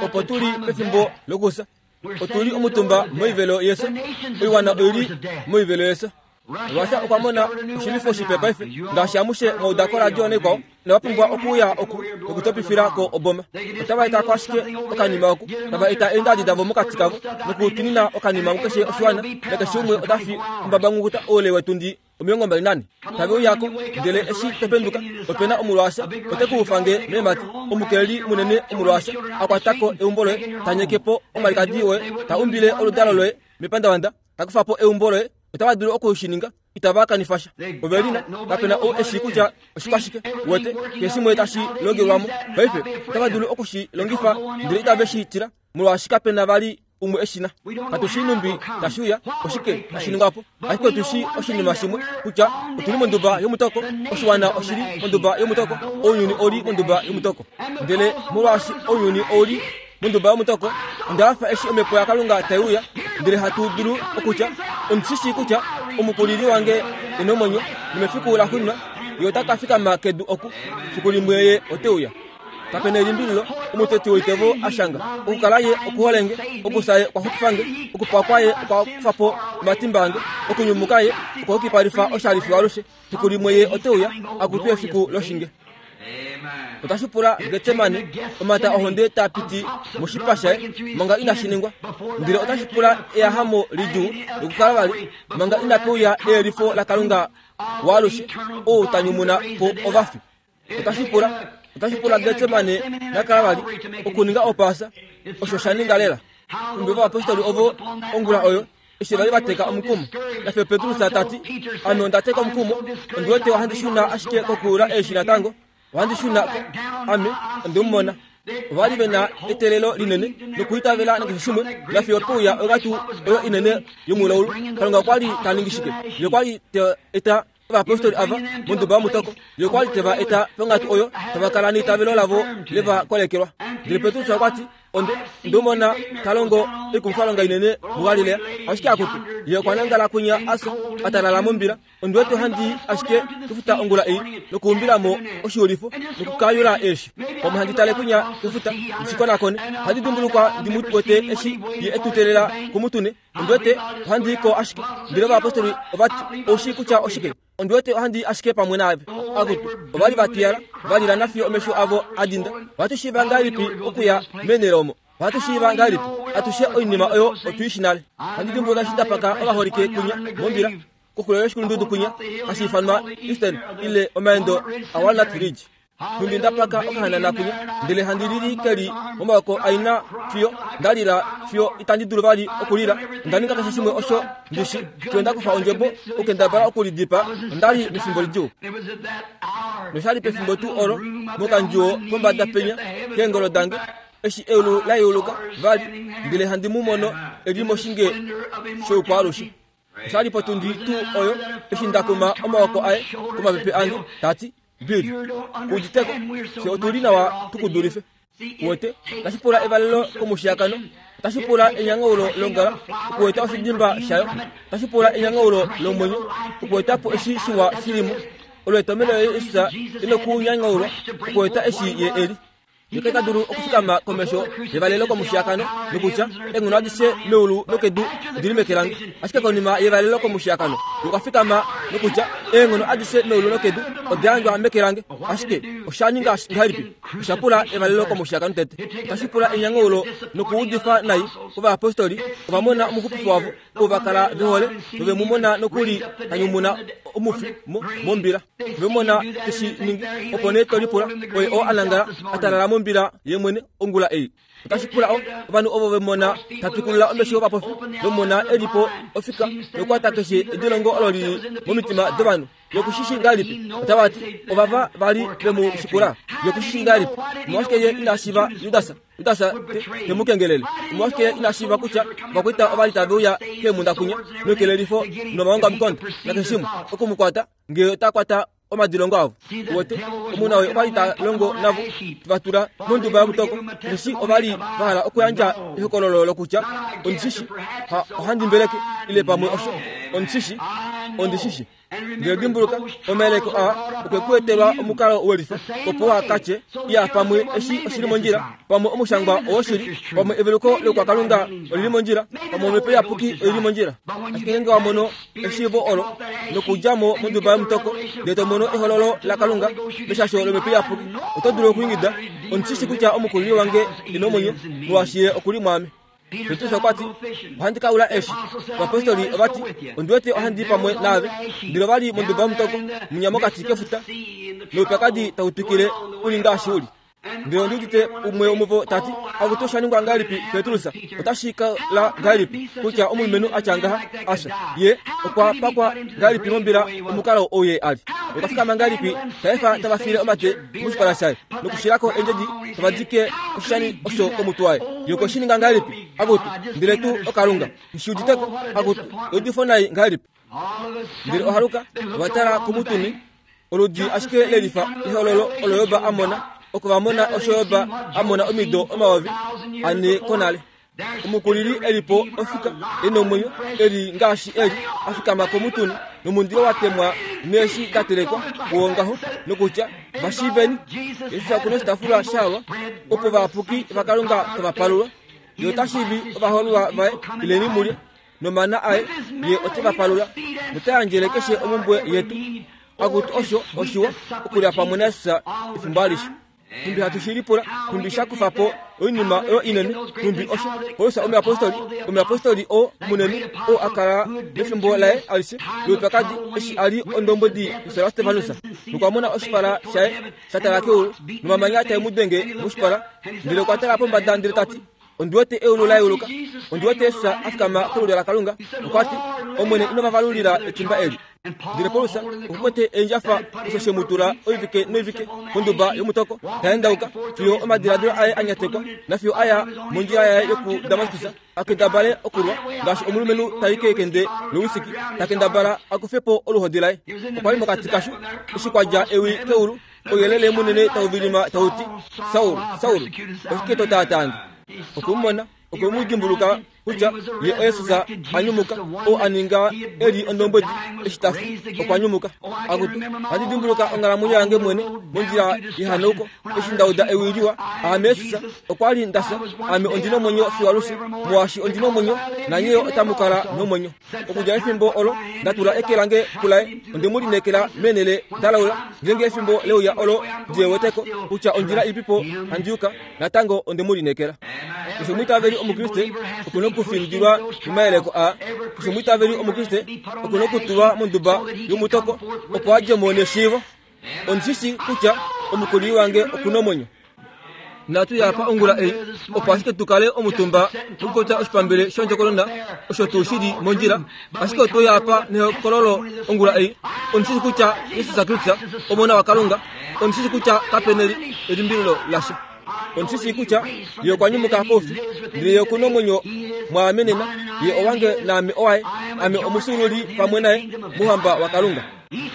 Opo tu li pefimbo lokufya, otu li omutumba moivelo yefyo, oiwana oi li moivelo yefyo. Russia okwa mona oshilwifo shipe paife, ngaashi amushe mwa uda koradio naikwao, inava pumbwa okuuya oku nokutopifila ko oboma. Otava eta ko ashike okanima oku, tava eta eendadi davo mokati kavo nokutunina okanima mukeshe oshiwana, nakeshe umwe ota fi ombabanghukuta oule wetundi omilongo mbali nane. Tave uyako, ndele eshi topenduka, ope na omulwaasha, ote ku ufange meemati, omukeleli munene omulwaasha, a kwata ko eumbo loye, ta nyeke po omalikadi woye, ta umbile oludalo loye mepandavanda, ta kufa po eumbo loye. Otava dulu oku shi ninga, itava kanifa sha. Ove lina, kape na ou e shii kutya oshikwashike, wete, keshe shimwe tashi longelwa mo. Paife, otava dulu oku shi longifa, ndele itave shi tila, molwaashi kape na vali umwe e shi na. Katu shii numbi tashi uya, oshike tashi ningwa po. Ashike otu shii oshinima shimwe, kutya otu li monduba yomutoko, oshiwana oshi li monduba yomutoko, ounyuni ou li monduba yomutoko. Ndele molwaashi ounyuni ou li monduba yomutoko, onda hafa eshi omhepo yaKalunga tai uya, ndele hatu dulu okutya, ondi shi shii kutya omukulili wange e nomwenyo, nomefiku laxuuninwa ye ota ka fikama kedu oku, fiku limwe ye ote uya. Kape na elimbililo, omuteti woitevo a shanga, okukala ye okuholenge, okufya ye okwa xupifange, okupakwa ye okwa kufa po omatimba ange, okunyumuka ye okwa yukipalifa oshali fiyo alushe, fiku limwe ye ote uya, akutu efiku loshinge. Otashi pula Getsemane, omata ohonde taa piti moshipa shaye manga inashi ningwa, ndele otashi pula eyahamo lidjuu lokukala vali manga inape uya eyelifo laKalunga waalushe, ou ta nyumuna po ovafi. Otashi pula, otashi pula Getsemane nakala vali okuninga opaasa, osho sha ninga lela. Kumbe ovayapostoli ovo ongula oyo eshi vali va teka omukumo, nafye Petrus ta ti, ame onda teka omukumo, ondi wete ohandi shuna ashike kokuyula eeshi natango, ohandi shuna ko, ame onde mu mona. Ova li ve na eteelelo linene nokuitavela nakeshe shimwe, nafiyo ope uya onghatu oyo inene yomulaulu. Kalunga okwa li ta ningi shike? Ye okwa li ta eta ovayapostoli ava monduba yomutoko. Ye okwa li te va eta ponghatu oyo tava kala neitavelo lavo le va kolekelwa. Ndele Petrus okwa ti, onde onde mu mona ta longo oikumwifalonga inene muGalilea, ashike akutu, ye okwa nangala kwinya a fya, a talala mombila. Ondi wete ohandi ashike kefuta ongula ei nokuumbila mo oshiulifo nokukayula eeshi. Pamwe handi tale kwinya kefuta ndi shi konakone. Ohandi dimbulukwa ndi mu wete eshi ye e tu teelela kumutune. Ondi wete ohandi i ko ashike. Ndele ovayapostoli ova ti, ou shii kutya oshike? Ondi wete ohandi i ashike pamwe naave. Akutu, ova li va twiyala, va lila nafiyo omesho avo a dinda. Ohatu shiiva ngahelipi okuya meenhele omo? Ohatu shiiva ngahelipi? Atushe oinima oyo otu i shi nale. Ohandi dimbuluka eshi nda paka ovaholike kwinya mombila koxulo yoshikulundudu kwinya hashi ifanwa Eastern ile omaendo aWalnut Ridge. Nhumbi nda paka okahanana kwinya, ndele handi lili ke li momaoko aina fiyo nda lila fiyo itandi dulu vali okulila. Onda ninga keshe shimwe osho ndi shi, fiyo nda kufa ondjebo okukendabala okulidipaa. Onda li mefimbo lidjuu. Nosha li pefimbo tuu olo, mokandjuwo pombada penya keengolo dange, eshi eulu la yeuluka vali, ndele handi mu mono e li moshinge shoukwaalushe. Osha li potundi tuu oyo eshi nda kuma omaoko aye komapepe ange, ta ti, Bill, ku uditeko, fye otu li nawa tu ku dulife. Uwete, otashi pula evalelo komushiyakano, otashi pula enyangaulo longala okueta oshidimba shayo, otashi pula enyangaulo lomwenyo okueta po eshi shiwa shi li mo. Olo etomhelo Jesus e nokunyangaulwa okueta eshi ye e li. Ye ta dulu okufikama komesho yevalelo komushiakano nokutya eenghono adishe meulu nokedu odili meke lange. Ashike konima yevalelo komushiakano okwa fikama nokutya eenghono adishe meulu nokedu oda yandjwa meke lange. Ashike osha ninga ngahelipi? Osha pula evalelo komushiakano tete. Otashi pula enyangaulo nokuudifa nai kovayapostoli. Ova mona omuxupifi wavo oo va kala ve hole nove mu mona nokuli ta nyumuna omufi mombila. Ove mona teshi ningi, opo nee to lipula oye oo a nangala a talala mombila ye mwene ongula ei. Otashi pula ovanhu ovo ve mona ta tukulula omesho ovapofi, ve mona e li po ofika nokukwata keshe edilongo olo lili momitima dovanhu. Yokushishi ngahelipi? Otava ti ovava vali ve mu shikula. Yokushishi ngahelipi? Omolwashike ye ina shiiva Judas? Judas te mu kengelele. Omolwashike ye ina shiiva kutya ovakwaita ova li tave uya keemhunda kunya nokelelifo nomaongamukonda nakeshe shimwe oku mu kwata ngee ota kwata omadilongo avo. Wote omuna oyo okwa li ta longo navo va tula monduba yomutoko, osheshi ova li va hala okuyandja ehokololo lokutya ondishishi ohandi mbeleke ile pamwe osho ondishishi ondishishi. Ndele dimbuluka omayeleko aa okwe ku etelwa omukalo welifa opo wa katye ya pamwe eshi oshili mondjila, pamwe omushangwa owoshili, pamwe eveluko lokwakalunga olili mondjila, pamwe omhepo iyapuki oili mondjila. Ashike ngeenge wa mono eshiivo olo nokudja mo monduba yomutoko ndele to mono ehololo laKalunga meshasho lomhepo iyapuki, oto dulu okwiingida ondishishi kutya omukulili wange ena omwenyo molwaashi ye okuli mwaame. Petrus okwa ti ohandi ka ula eshi. Ovapostoli ova ti ondi wete ohandi pamwe naave. Ndele ova li monduba yomutoko munya mokati kefuta noupyakadi tau twikile uli ngaashi uli. Ndele ondi udite umwe womuvo ta ti akutu osha ningwa ngahelipi Petrus? Otashi kala ngahelipi kutya omulumenhu a tya ngaha asha ye okwa pakwa ngahelipi mombila omukalo ou ye a li? Okwa fikama ngahelipi ta efa tava fiile omate moshipala shaye nokushilako eendjedi tava dike oshishani osho komutwe waye? Ye okwe shi ninga ngahelipi? Akutu ndele tuu oKalunga nshi uditeko. Akutu eudifo nai ngahelipi? Ndele ohaluka ova tala komutuni oludi ashike lelifa ehololo olo Job a mona. Oko va mona osho Job a mona omido omayovi ane konale. Omukulili e li po ofika e nomwenyo e li ngaashi e li a fikama komutuni nomundilo wa temwa neeshi da telekwa kuwongaho nokutya vashiiveni Jesus okuna oshitaafula shalwa opo vayapuki vaKalunga tava palulwa. Ye ota shiivi ovahoololwa vaye ileni mulye nomana aye ye ote va palula nota yandjele keshe omhumbwe yetu. Akutu osho oshiwa okulya pamwe naJesus efimbo alishe. Nhumbi hatu shi lipula, nhumbi sha kufa po oinima oyo inene, nhumbi osho Paulus omuyapostoli, omuyapostoli oo munene oo a kala mefimbo laye alishe loupyakadi eshi a li ondombwedi yefyo laStefanus, nokwa mona oshipala shaye sha tala keulu nomamanya tae mu denge moshipala, ndele okwa tala pombada ndele ta ti ondi wete eulu la yeuluka, ondi wete Jesus a fikama kolulyo laKalunga. Okwa ti Omwene ino va valulila etimba eli. Ndele Paulus okwa kwete eendjafa osho she mu tula oivike noivike konduba yomutoko ta endauka fiyo omadiladilo aye a nyatekwa nafiyo a ya mondjila yaye yokuDamaskus a kendabale okulwa ngaashi omulumenhu tai kekende lowisiki ta kendabala a kufe po oluhodi laye. Okwa li mokati kasho eshi kwa dja ewi keulu ouyelele munene tau vilima tau ti Saul, Saul, oshike to taatange? Okwe mu mona, okwe mu dimbuluka kutya ye oJesus a nyumuka oo a ninga e li ondombwedi eshi ta fi okwa nyumuka. Akutu ohandi dimbuluka onghalamwenyo yange mwene mondjila yehanauko eshi nda uda ewi liwa aame Jesus okwa li nda fya, ame ondi nomwenyo fiyo alushe, molwaashi ondi nomwenyo nanye yo otamu kala nomwenyo. Okudja efimbo olo nda tula eke lange kulaye, onde mu lineekela meenhele da laula. Ngeenge efimbo leuya olo ndi weteko kutya ondjila ilipipo handi yuka, natango onde mu lineekela. Keshe omwiitaveli Omukriste okuna okufindilwa momayeleko aa. Keshe omwiitaveli Omukriste okuna okutulwa monduba yomutoko opo a dje mo neshiivo. Ondishishi kutya omukulili wange okuna omwenyo. Natu ya pa ongula ei opo ashike tu kale omutumba nokukota oshipambele shondjokonona osho tuu shili mondjila, ashike otwe ya pa nehokololo ongula ei. Ondishishi kutya Jesus Kristus Omona waKalunga. Ondishishi kutya kape elimbililo lasha. Ondishishi kutya ye okwa nyumuka koufi, ndele ye okuna omwenyo mwaame nena. Ye owange naame owaye, ame omufyuululi pamwe naye mouhamba waKalunga.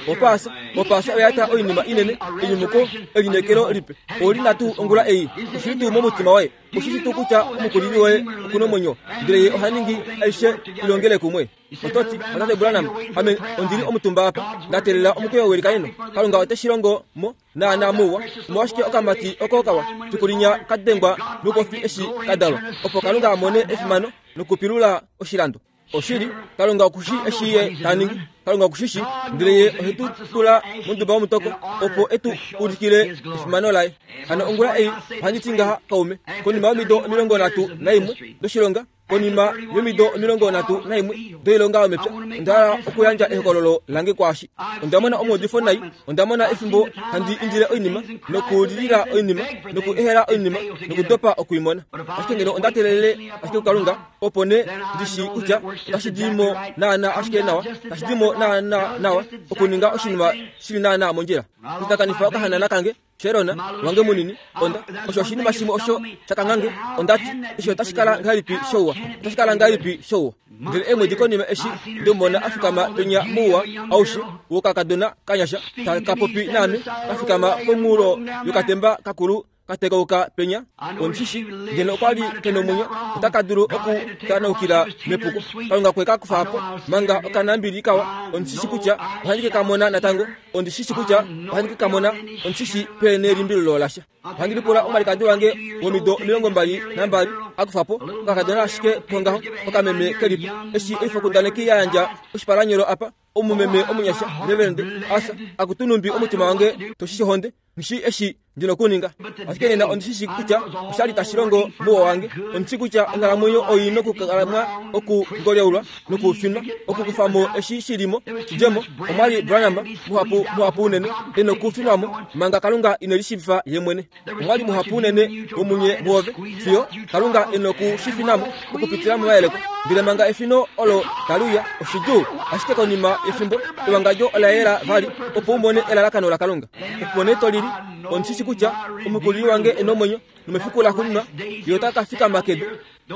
Opaasa opaasa oya eta oinima inene enyumuko elineekelo lipe oli na tuu ongula ei oshili tuu momutima waye oshishi tuu kutya omukulili woye okuna omwenyo ndele ye oha ningi aishe ilongele kumwe ototi otate Branham ame ondili omutumba apa ndatelela omukweyo welikaneno Kalunga ote shi longo mo naana muwa omolwashike okamati oko kawa fikulinya kadengwa noupofi eshi kadalwa opo Kalunga amone efimano nokupilula oshilando oshili Kalunga okushi eshi ye taningi Kalunga okushishi ndele ye ohetu tula monduba womutoko opo etu ulikile efimano laye hano ongula ei ohandi ti ngaha kaume konima yomido omilongo nhatu naimwe doshilonga konima yomido omilongo nhatu naimwe doilonga yomepya onda hala okuyandja ehokololo lange kwaashi onda mona omaudifo nai onda mona efimbo handi indile oinima nokulilila oinima nokuehela oinima nokudopa okuimona ashike ngeno onda telelele ashike kuKalunga opo ne ndishi kutya otashi di mo naana ashike nawa tashi di mo naana nawa okuninga oshinima shili naana mondjila okutakanifa okahanana kange Sherona wange munini onda osho oshinima shimwe osho shakangange ondati eshi otashi kala ngahelipi shouwa otashi kala ngahelipi shouwa ndele eemwedi konima eshi ndimona afikama penya mouwa aushe wokakadona kanyasha takapopi naame kafikama pomunghulo yokatemba kakulu katekauka penya omushishi ngeno okwali kena omwenyo otaka dulu okutanaukila mepuko Kalunga kwe kakufa po manga okanambili kawa ondishishi kutya ohandi ke kamona natango ondishishi kutya ohandi ke kamona ondishishi peene elimbililo lasha ohandi lipula omwalikadi wange womido omilongo mbali nambali akufa po okakadona ashike kongaho okameme kelipo eshi oifokundaneki ya yandja oshipalanyolo apa omumeme omunyasha reverend asa akutunumbi omutima wange toshishi honde ngishi eshi ndina okuninga ashike nena ondishishi kutya oshali tashi longo muwa wange ondishi kutya onghalamwenyo oi nokukalamwa okungolyeulwa nokufinwa okukufamo eshi shilimo shidjemo omwali Branham muhapu muhapu unene enokufinwamo manga Kalunga ine lishiivifa ye mwene omwali muhapu unene womunye muove fiyo Kalunga enokushifinamo okupitila momayeleko ndele manga efino olo taliuya oshidjuu ashike konima yefimbo ewangadjo ola yela vali opo umone elalakano laKalunga opo nee tolili ondishishi kutya omukulili wange ena omwenyo nomefiku laxuuninwa ye ota ka fikama kedu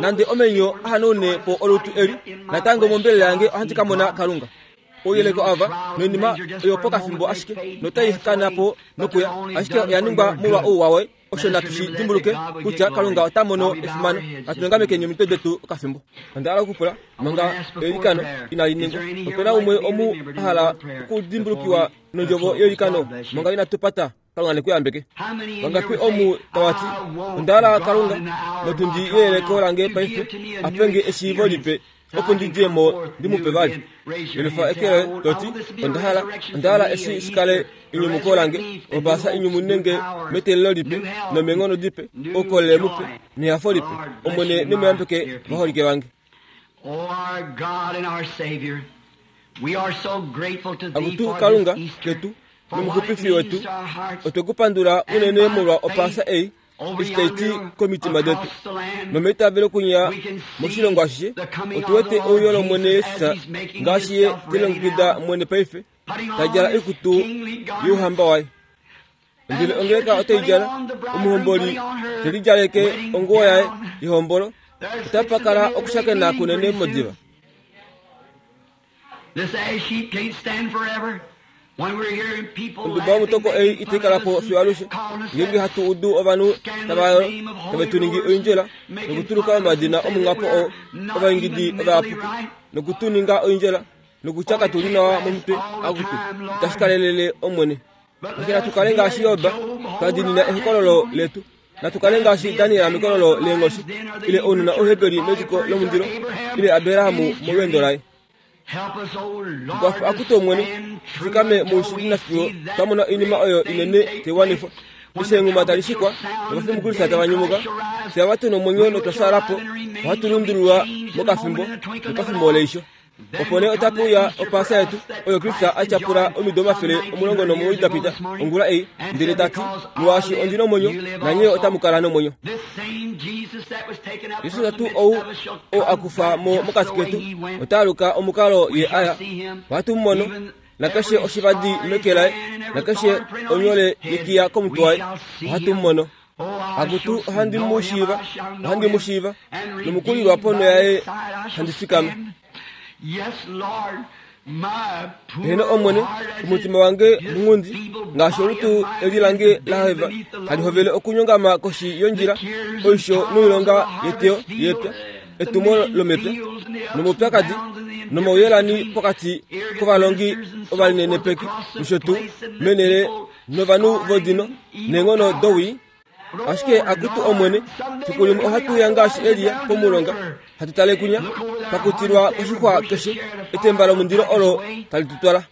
nande omenyo ahanaune po olutu eli natango mombelela yange ohandi ka mona Kalunga ouyeleko ava noinima oyo pokafimbo ashike notai kana po nokuya ashike oya ningwa molwa ouwa woye osho natu shi dimbuluke kutya Kalunga ota mono efimano atulengamekeni omitwe detu okafimbo onda hala okupula manga eilikano inali ningwa opena umwe omu a hala okudimbulukiwa nondjovo yeilikano manga inatu pata Kalunga nekuyambeke vangapi omu tawati onda hala Kalunga motundi yeyeleko lange paife apenge eshiivo lipe opo ndidje mo ndimupe vali elufa ekele toti onda hala onda hala eshi shikale enyumuko lange opaasa inyumunenge metelelo lipe nomenghono dipe oukolele mupe nehafo lipe Omwene nemuyambeke vaholike vange akutu Kalunga ketu nomuxupifi wetu otwekupandula unene molwa opaasa ei eshi taiti komitima detu nomeitavelo kunya moshilongo ashishe otuwete ouyo lOmwene Yesus ngaashi ye telongekida mwene paife tadjala oikutu youhamba waye ndele ongeleka otai djala omuhomboli telidjaleke onguwo yaye yehombolo otapa kala okushakena kunene modiva onduba yomutoko ei itai kala po fiyo alushe ngeenge hatu udu ovanhu tava tave tu ningi oindjela nokutuluka omadina omunghapo oo ovaingidi ovayapuki nokutuninga oindjela nokutya katuli nawa momutwe akutu itashi kalelele Omwene ashike natu kale ngaashi Job twa diinina ehokololo letu natu kale ngaashi Daniel mekololo leenghoshi ile ounona ouheberi mediko lomundilo ile Abrahamu molweendo laye tukwafa akutu Omwene tufikame moushili nafiyo twamona oinima oyo inene taiwanifwa eshi enghuma tali shikwa novafi muKristu tava nyumuka fye ava tuna omwenyo notwa po ohatu lundululwa mokafimbo nopafimbo leisho opo nee otape uya opaasa yetu oyo Kristu a tyapula omido omafele omulongo nomuwoi dapita ongula ei ndele tati molwaashi ondina omwenyo nanye otamu kala nomwenyo Jesus tuu ou oo akufa mo mokati ketu ota aluka omukalo ye aya ohatu mu mono nakeshe oshivadi meke laye nakeshe onyole yekiya komutwe waye ohatu mu mono akutu ohandi mu shiiva ohandi mu shiiva nomukulilwa ponho yaye handi fikama Yes, Lord, Heno Omwene, omutima wange munghundi ngaashi olutu eli lange laheva hali hovele okunyongama koshi yondjila, oisho noilonga yeteyo yepya, etumo lomepya nomaupyakadi nomauyelani pokati kovalongi ovalinenepeki nosho tuu menele novanhu vodino neenghono dowii. Ashike akutu Omwene, fiku limwe ohatu uya ngaashi Elia pomulonga, hatu tale kunya, pakutilwa koshixwa keshe, etemba lomundilo olo tali tu twala.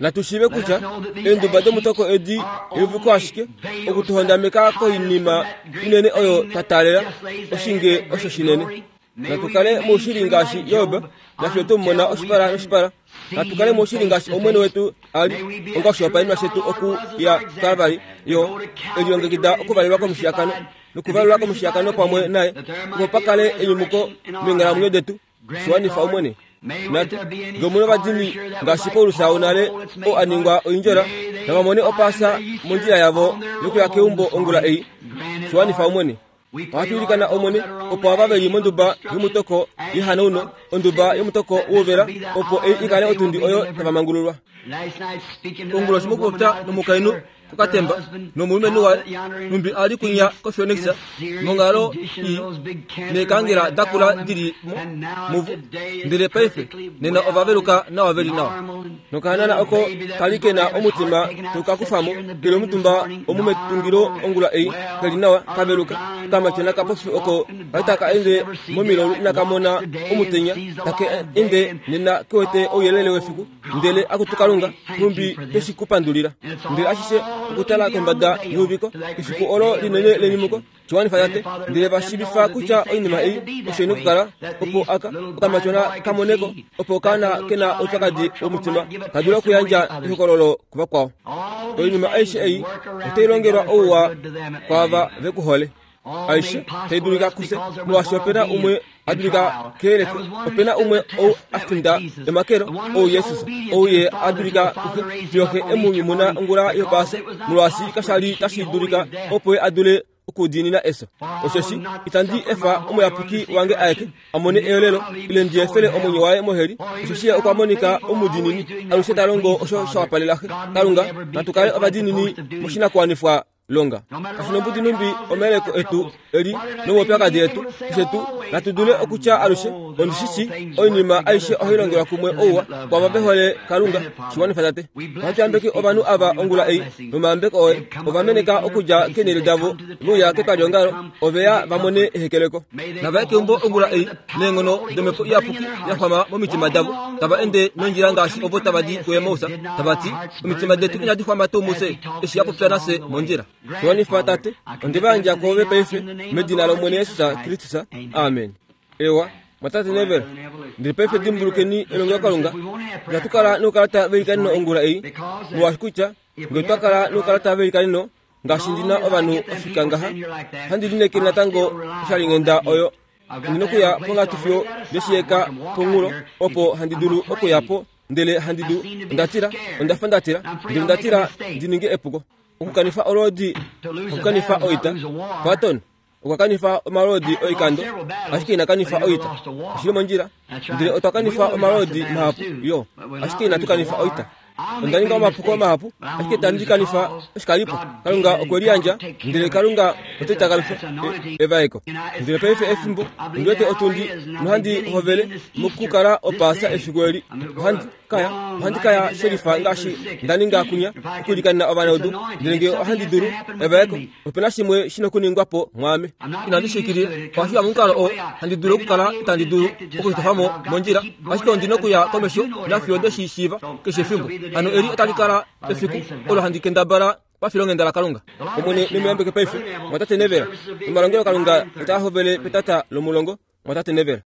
Natu shiive kutya eenduba domutoko edi euviko ashike okutuhondameka koinima inene oyo twa taalela, oshinge osho shinene. Natu kale moushili ngaashi Job, nafye twemumona oshipala noshipala. Natu kale moushili ngaashi Omwene wetu a li, onga oshihopaenenwa shetu oku ya kuKalvari, yo elilongekida okuvalelwa komushiyakano nokuvalelwa komushiyakano pamwe naye, opo pa kale enyumuko meenghalamwenyo detu. Shiwanifa Omwene. Natu ngee omuna ovadimi ngaashi Paulus wonale oo a ningwa oindjola, nava mone opaasa mondjila yavo yokuya keumbo ongula ei. Shiwanifa Omwene. Ohatu ilikana Omwene opo ava veli monduba yomutoko yehanauno, onduba yomutoko wouvela, opo ei ikale otundi oyo tava mangululwa. Onguloshi mokupopya nomukainhu kokatemba nomulumenhu waye, nhumbi a li kunya koPhoenix monghalo ii neekangela dakula dili mo muvo, ndele paife nena ova veluka nawa veli nawa. Nokahanana oko kali kena omutima tauka kufamo keli omutumba omu metungilo ongula ei, keli nawa kaveluka, okamatyona kapofi oko kali taka ende momilaulu inaka mona omutenya, take ende nena kewete ouyelele wefiku. Ndele akutu Kalunga, nhumbi tweshi kupandulila. Ndele ashishe okutala kombada yeuviko, efiku olo linene lenyumuko, shiwanifa tate, ndele vashiivifa kutya oinima ei osho ina okukala, opo aka okamatyona kamoneko, opo okaana kena oupyakadi womutima ka dule okuyandja ehokololo kuvakwao. Oinima aishe ei otai longelwa ouwa kwaava vekuhole. Aishe tai dulika kufye, molwaashi opena umwe a dulika keyeleko, opena umwe ou a finda emakelo, ou Jesus, ou ye a dulika kuxe fiyo Xe e mu nyumuna ongula yopaasa, molwaashi kasha li tashi dulika opo ye a dule okudiinina efyo. Osheshi itandi efa omuyapuki wange aeke a mone eyolelo, ile ndi efele omwenyo waye moheli, osheshi ye okwa monika omudiinini, alushe ta longo osho sha wapalela Xe. Kalunga, natu kale ovadiinini moshinakuwanifwa longa. Kashi nombudi nhumbi omayeleko etu eli nomaupyakadi etu, keshe tuu natu dule okutya alushe, ondi shi shii oinima aishe ohai longelwa kumwe ouwa kwaava ve hole Kalunga. Shiwanifa tate. Ohatu yambeke ovanhu ava ongula ei nomayambeko oye. Ova meneka okudja keenhele davo veuya ketwaliongalo, ove ya va mone ehekeleko. Nava ye keumbo ongula ei neenghono domhepo iyapuki ya xwama momitima davo, tava ende nondjila ngaashi ovo tava di kuEmaus, tava ti, omitima detu inadi xwama tuu mufye eshi ya popya nafye mondjila. Shiwanifa tate, onde va yandja kwoove paife medina lOmwene Jesus Kristus. Amen. Ewa, mwatate Neville, ndele paife dimbulukeni elongelokalunga. Inatu kala noukalata veilikaneno ongula ei, molwaashi kutya ngee otwa kala noukalata veilikaneno ngaashi ndi na ovanhu ofika ngaha, handi lineekele natango oshalinghenda oyo. Ondi nokuya ponghatu fiyo ndeshiyeka ponghulo, opo handi dulu okuya po, ndele handi du, onda tila, onda fa nda tila, ndele onda tila ndi ninge epuko. Okukanifa olwoodi hakukanifa oita. Patton okwa kanifa omalwoodi oikando, ashike ina kanifa oita. Oshili mondjila. Ndele otwa kanifa omalwoodi mahapu yo, ashike inatu kanifa oita. Onda ninga omapuko mahapu, ashike itandi kanifa oshikalipo. Kalunga okwe liyandja, ndele Kalunga ote takamifa evaeko. Ndele paife efimbo, ondi wete otundi nohandi hovele mokukala opaasa efiku eli. Ohandi kaya, ohandi kaya shelifa ngaashi nda ninga kunya okuilikanena ovanaudu, ndele ngee ohandi dulu evaeko, opena shimwe shina okuningwa po mwaame. Inandi shiikilila, ohashi uya momukalo oo handi dulu okukala itandi dulu okushitofamo mondjila, ashike ondi nokuya komesho nafiyo ndeshi shiiva keshe efimbo. Hano eli otali kala efiku olo handi kendabala pafilonghenda laKalunga. Omwene nemuyambeke paife, mwatate Neville. Omalongelokalunga otaa hovele petata lomulongo, mwatate Neville.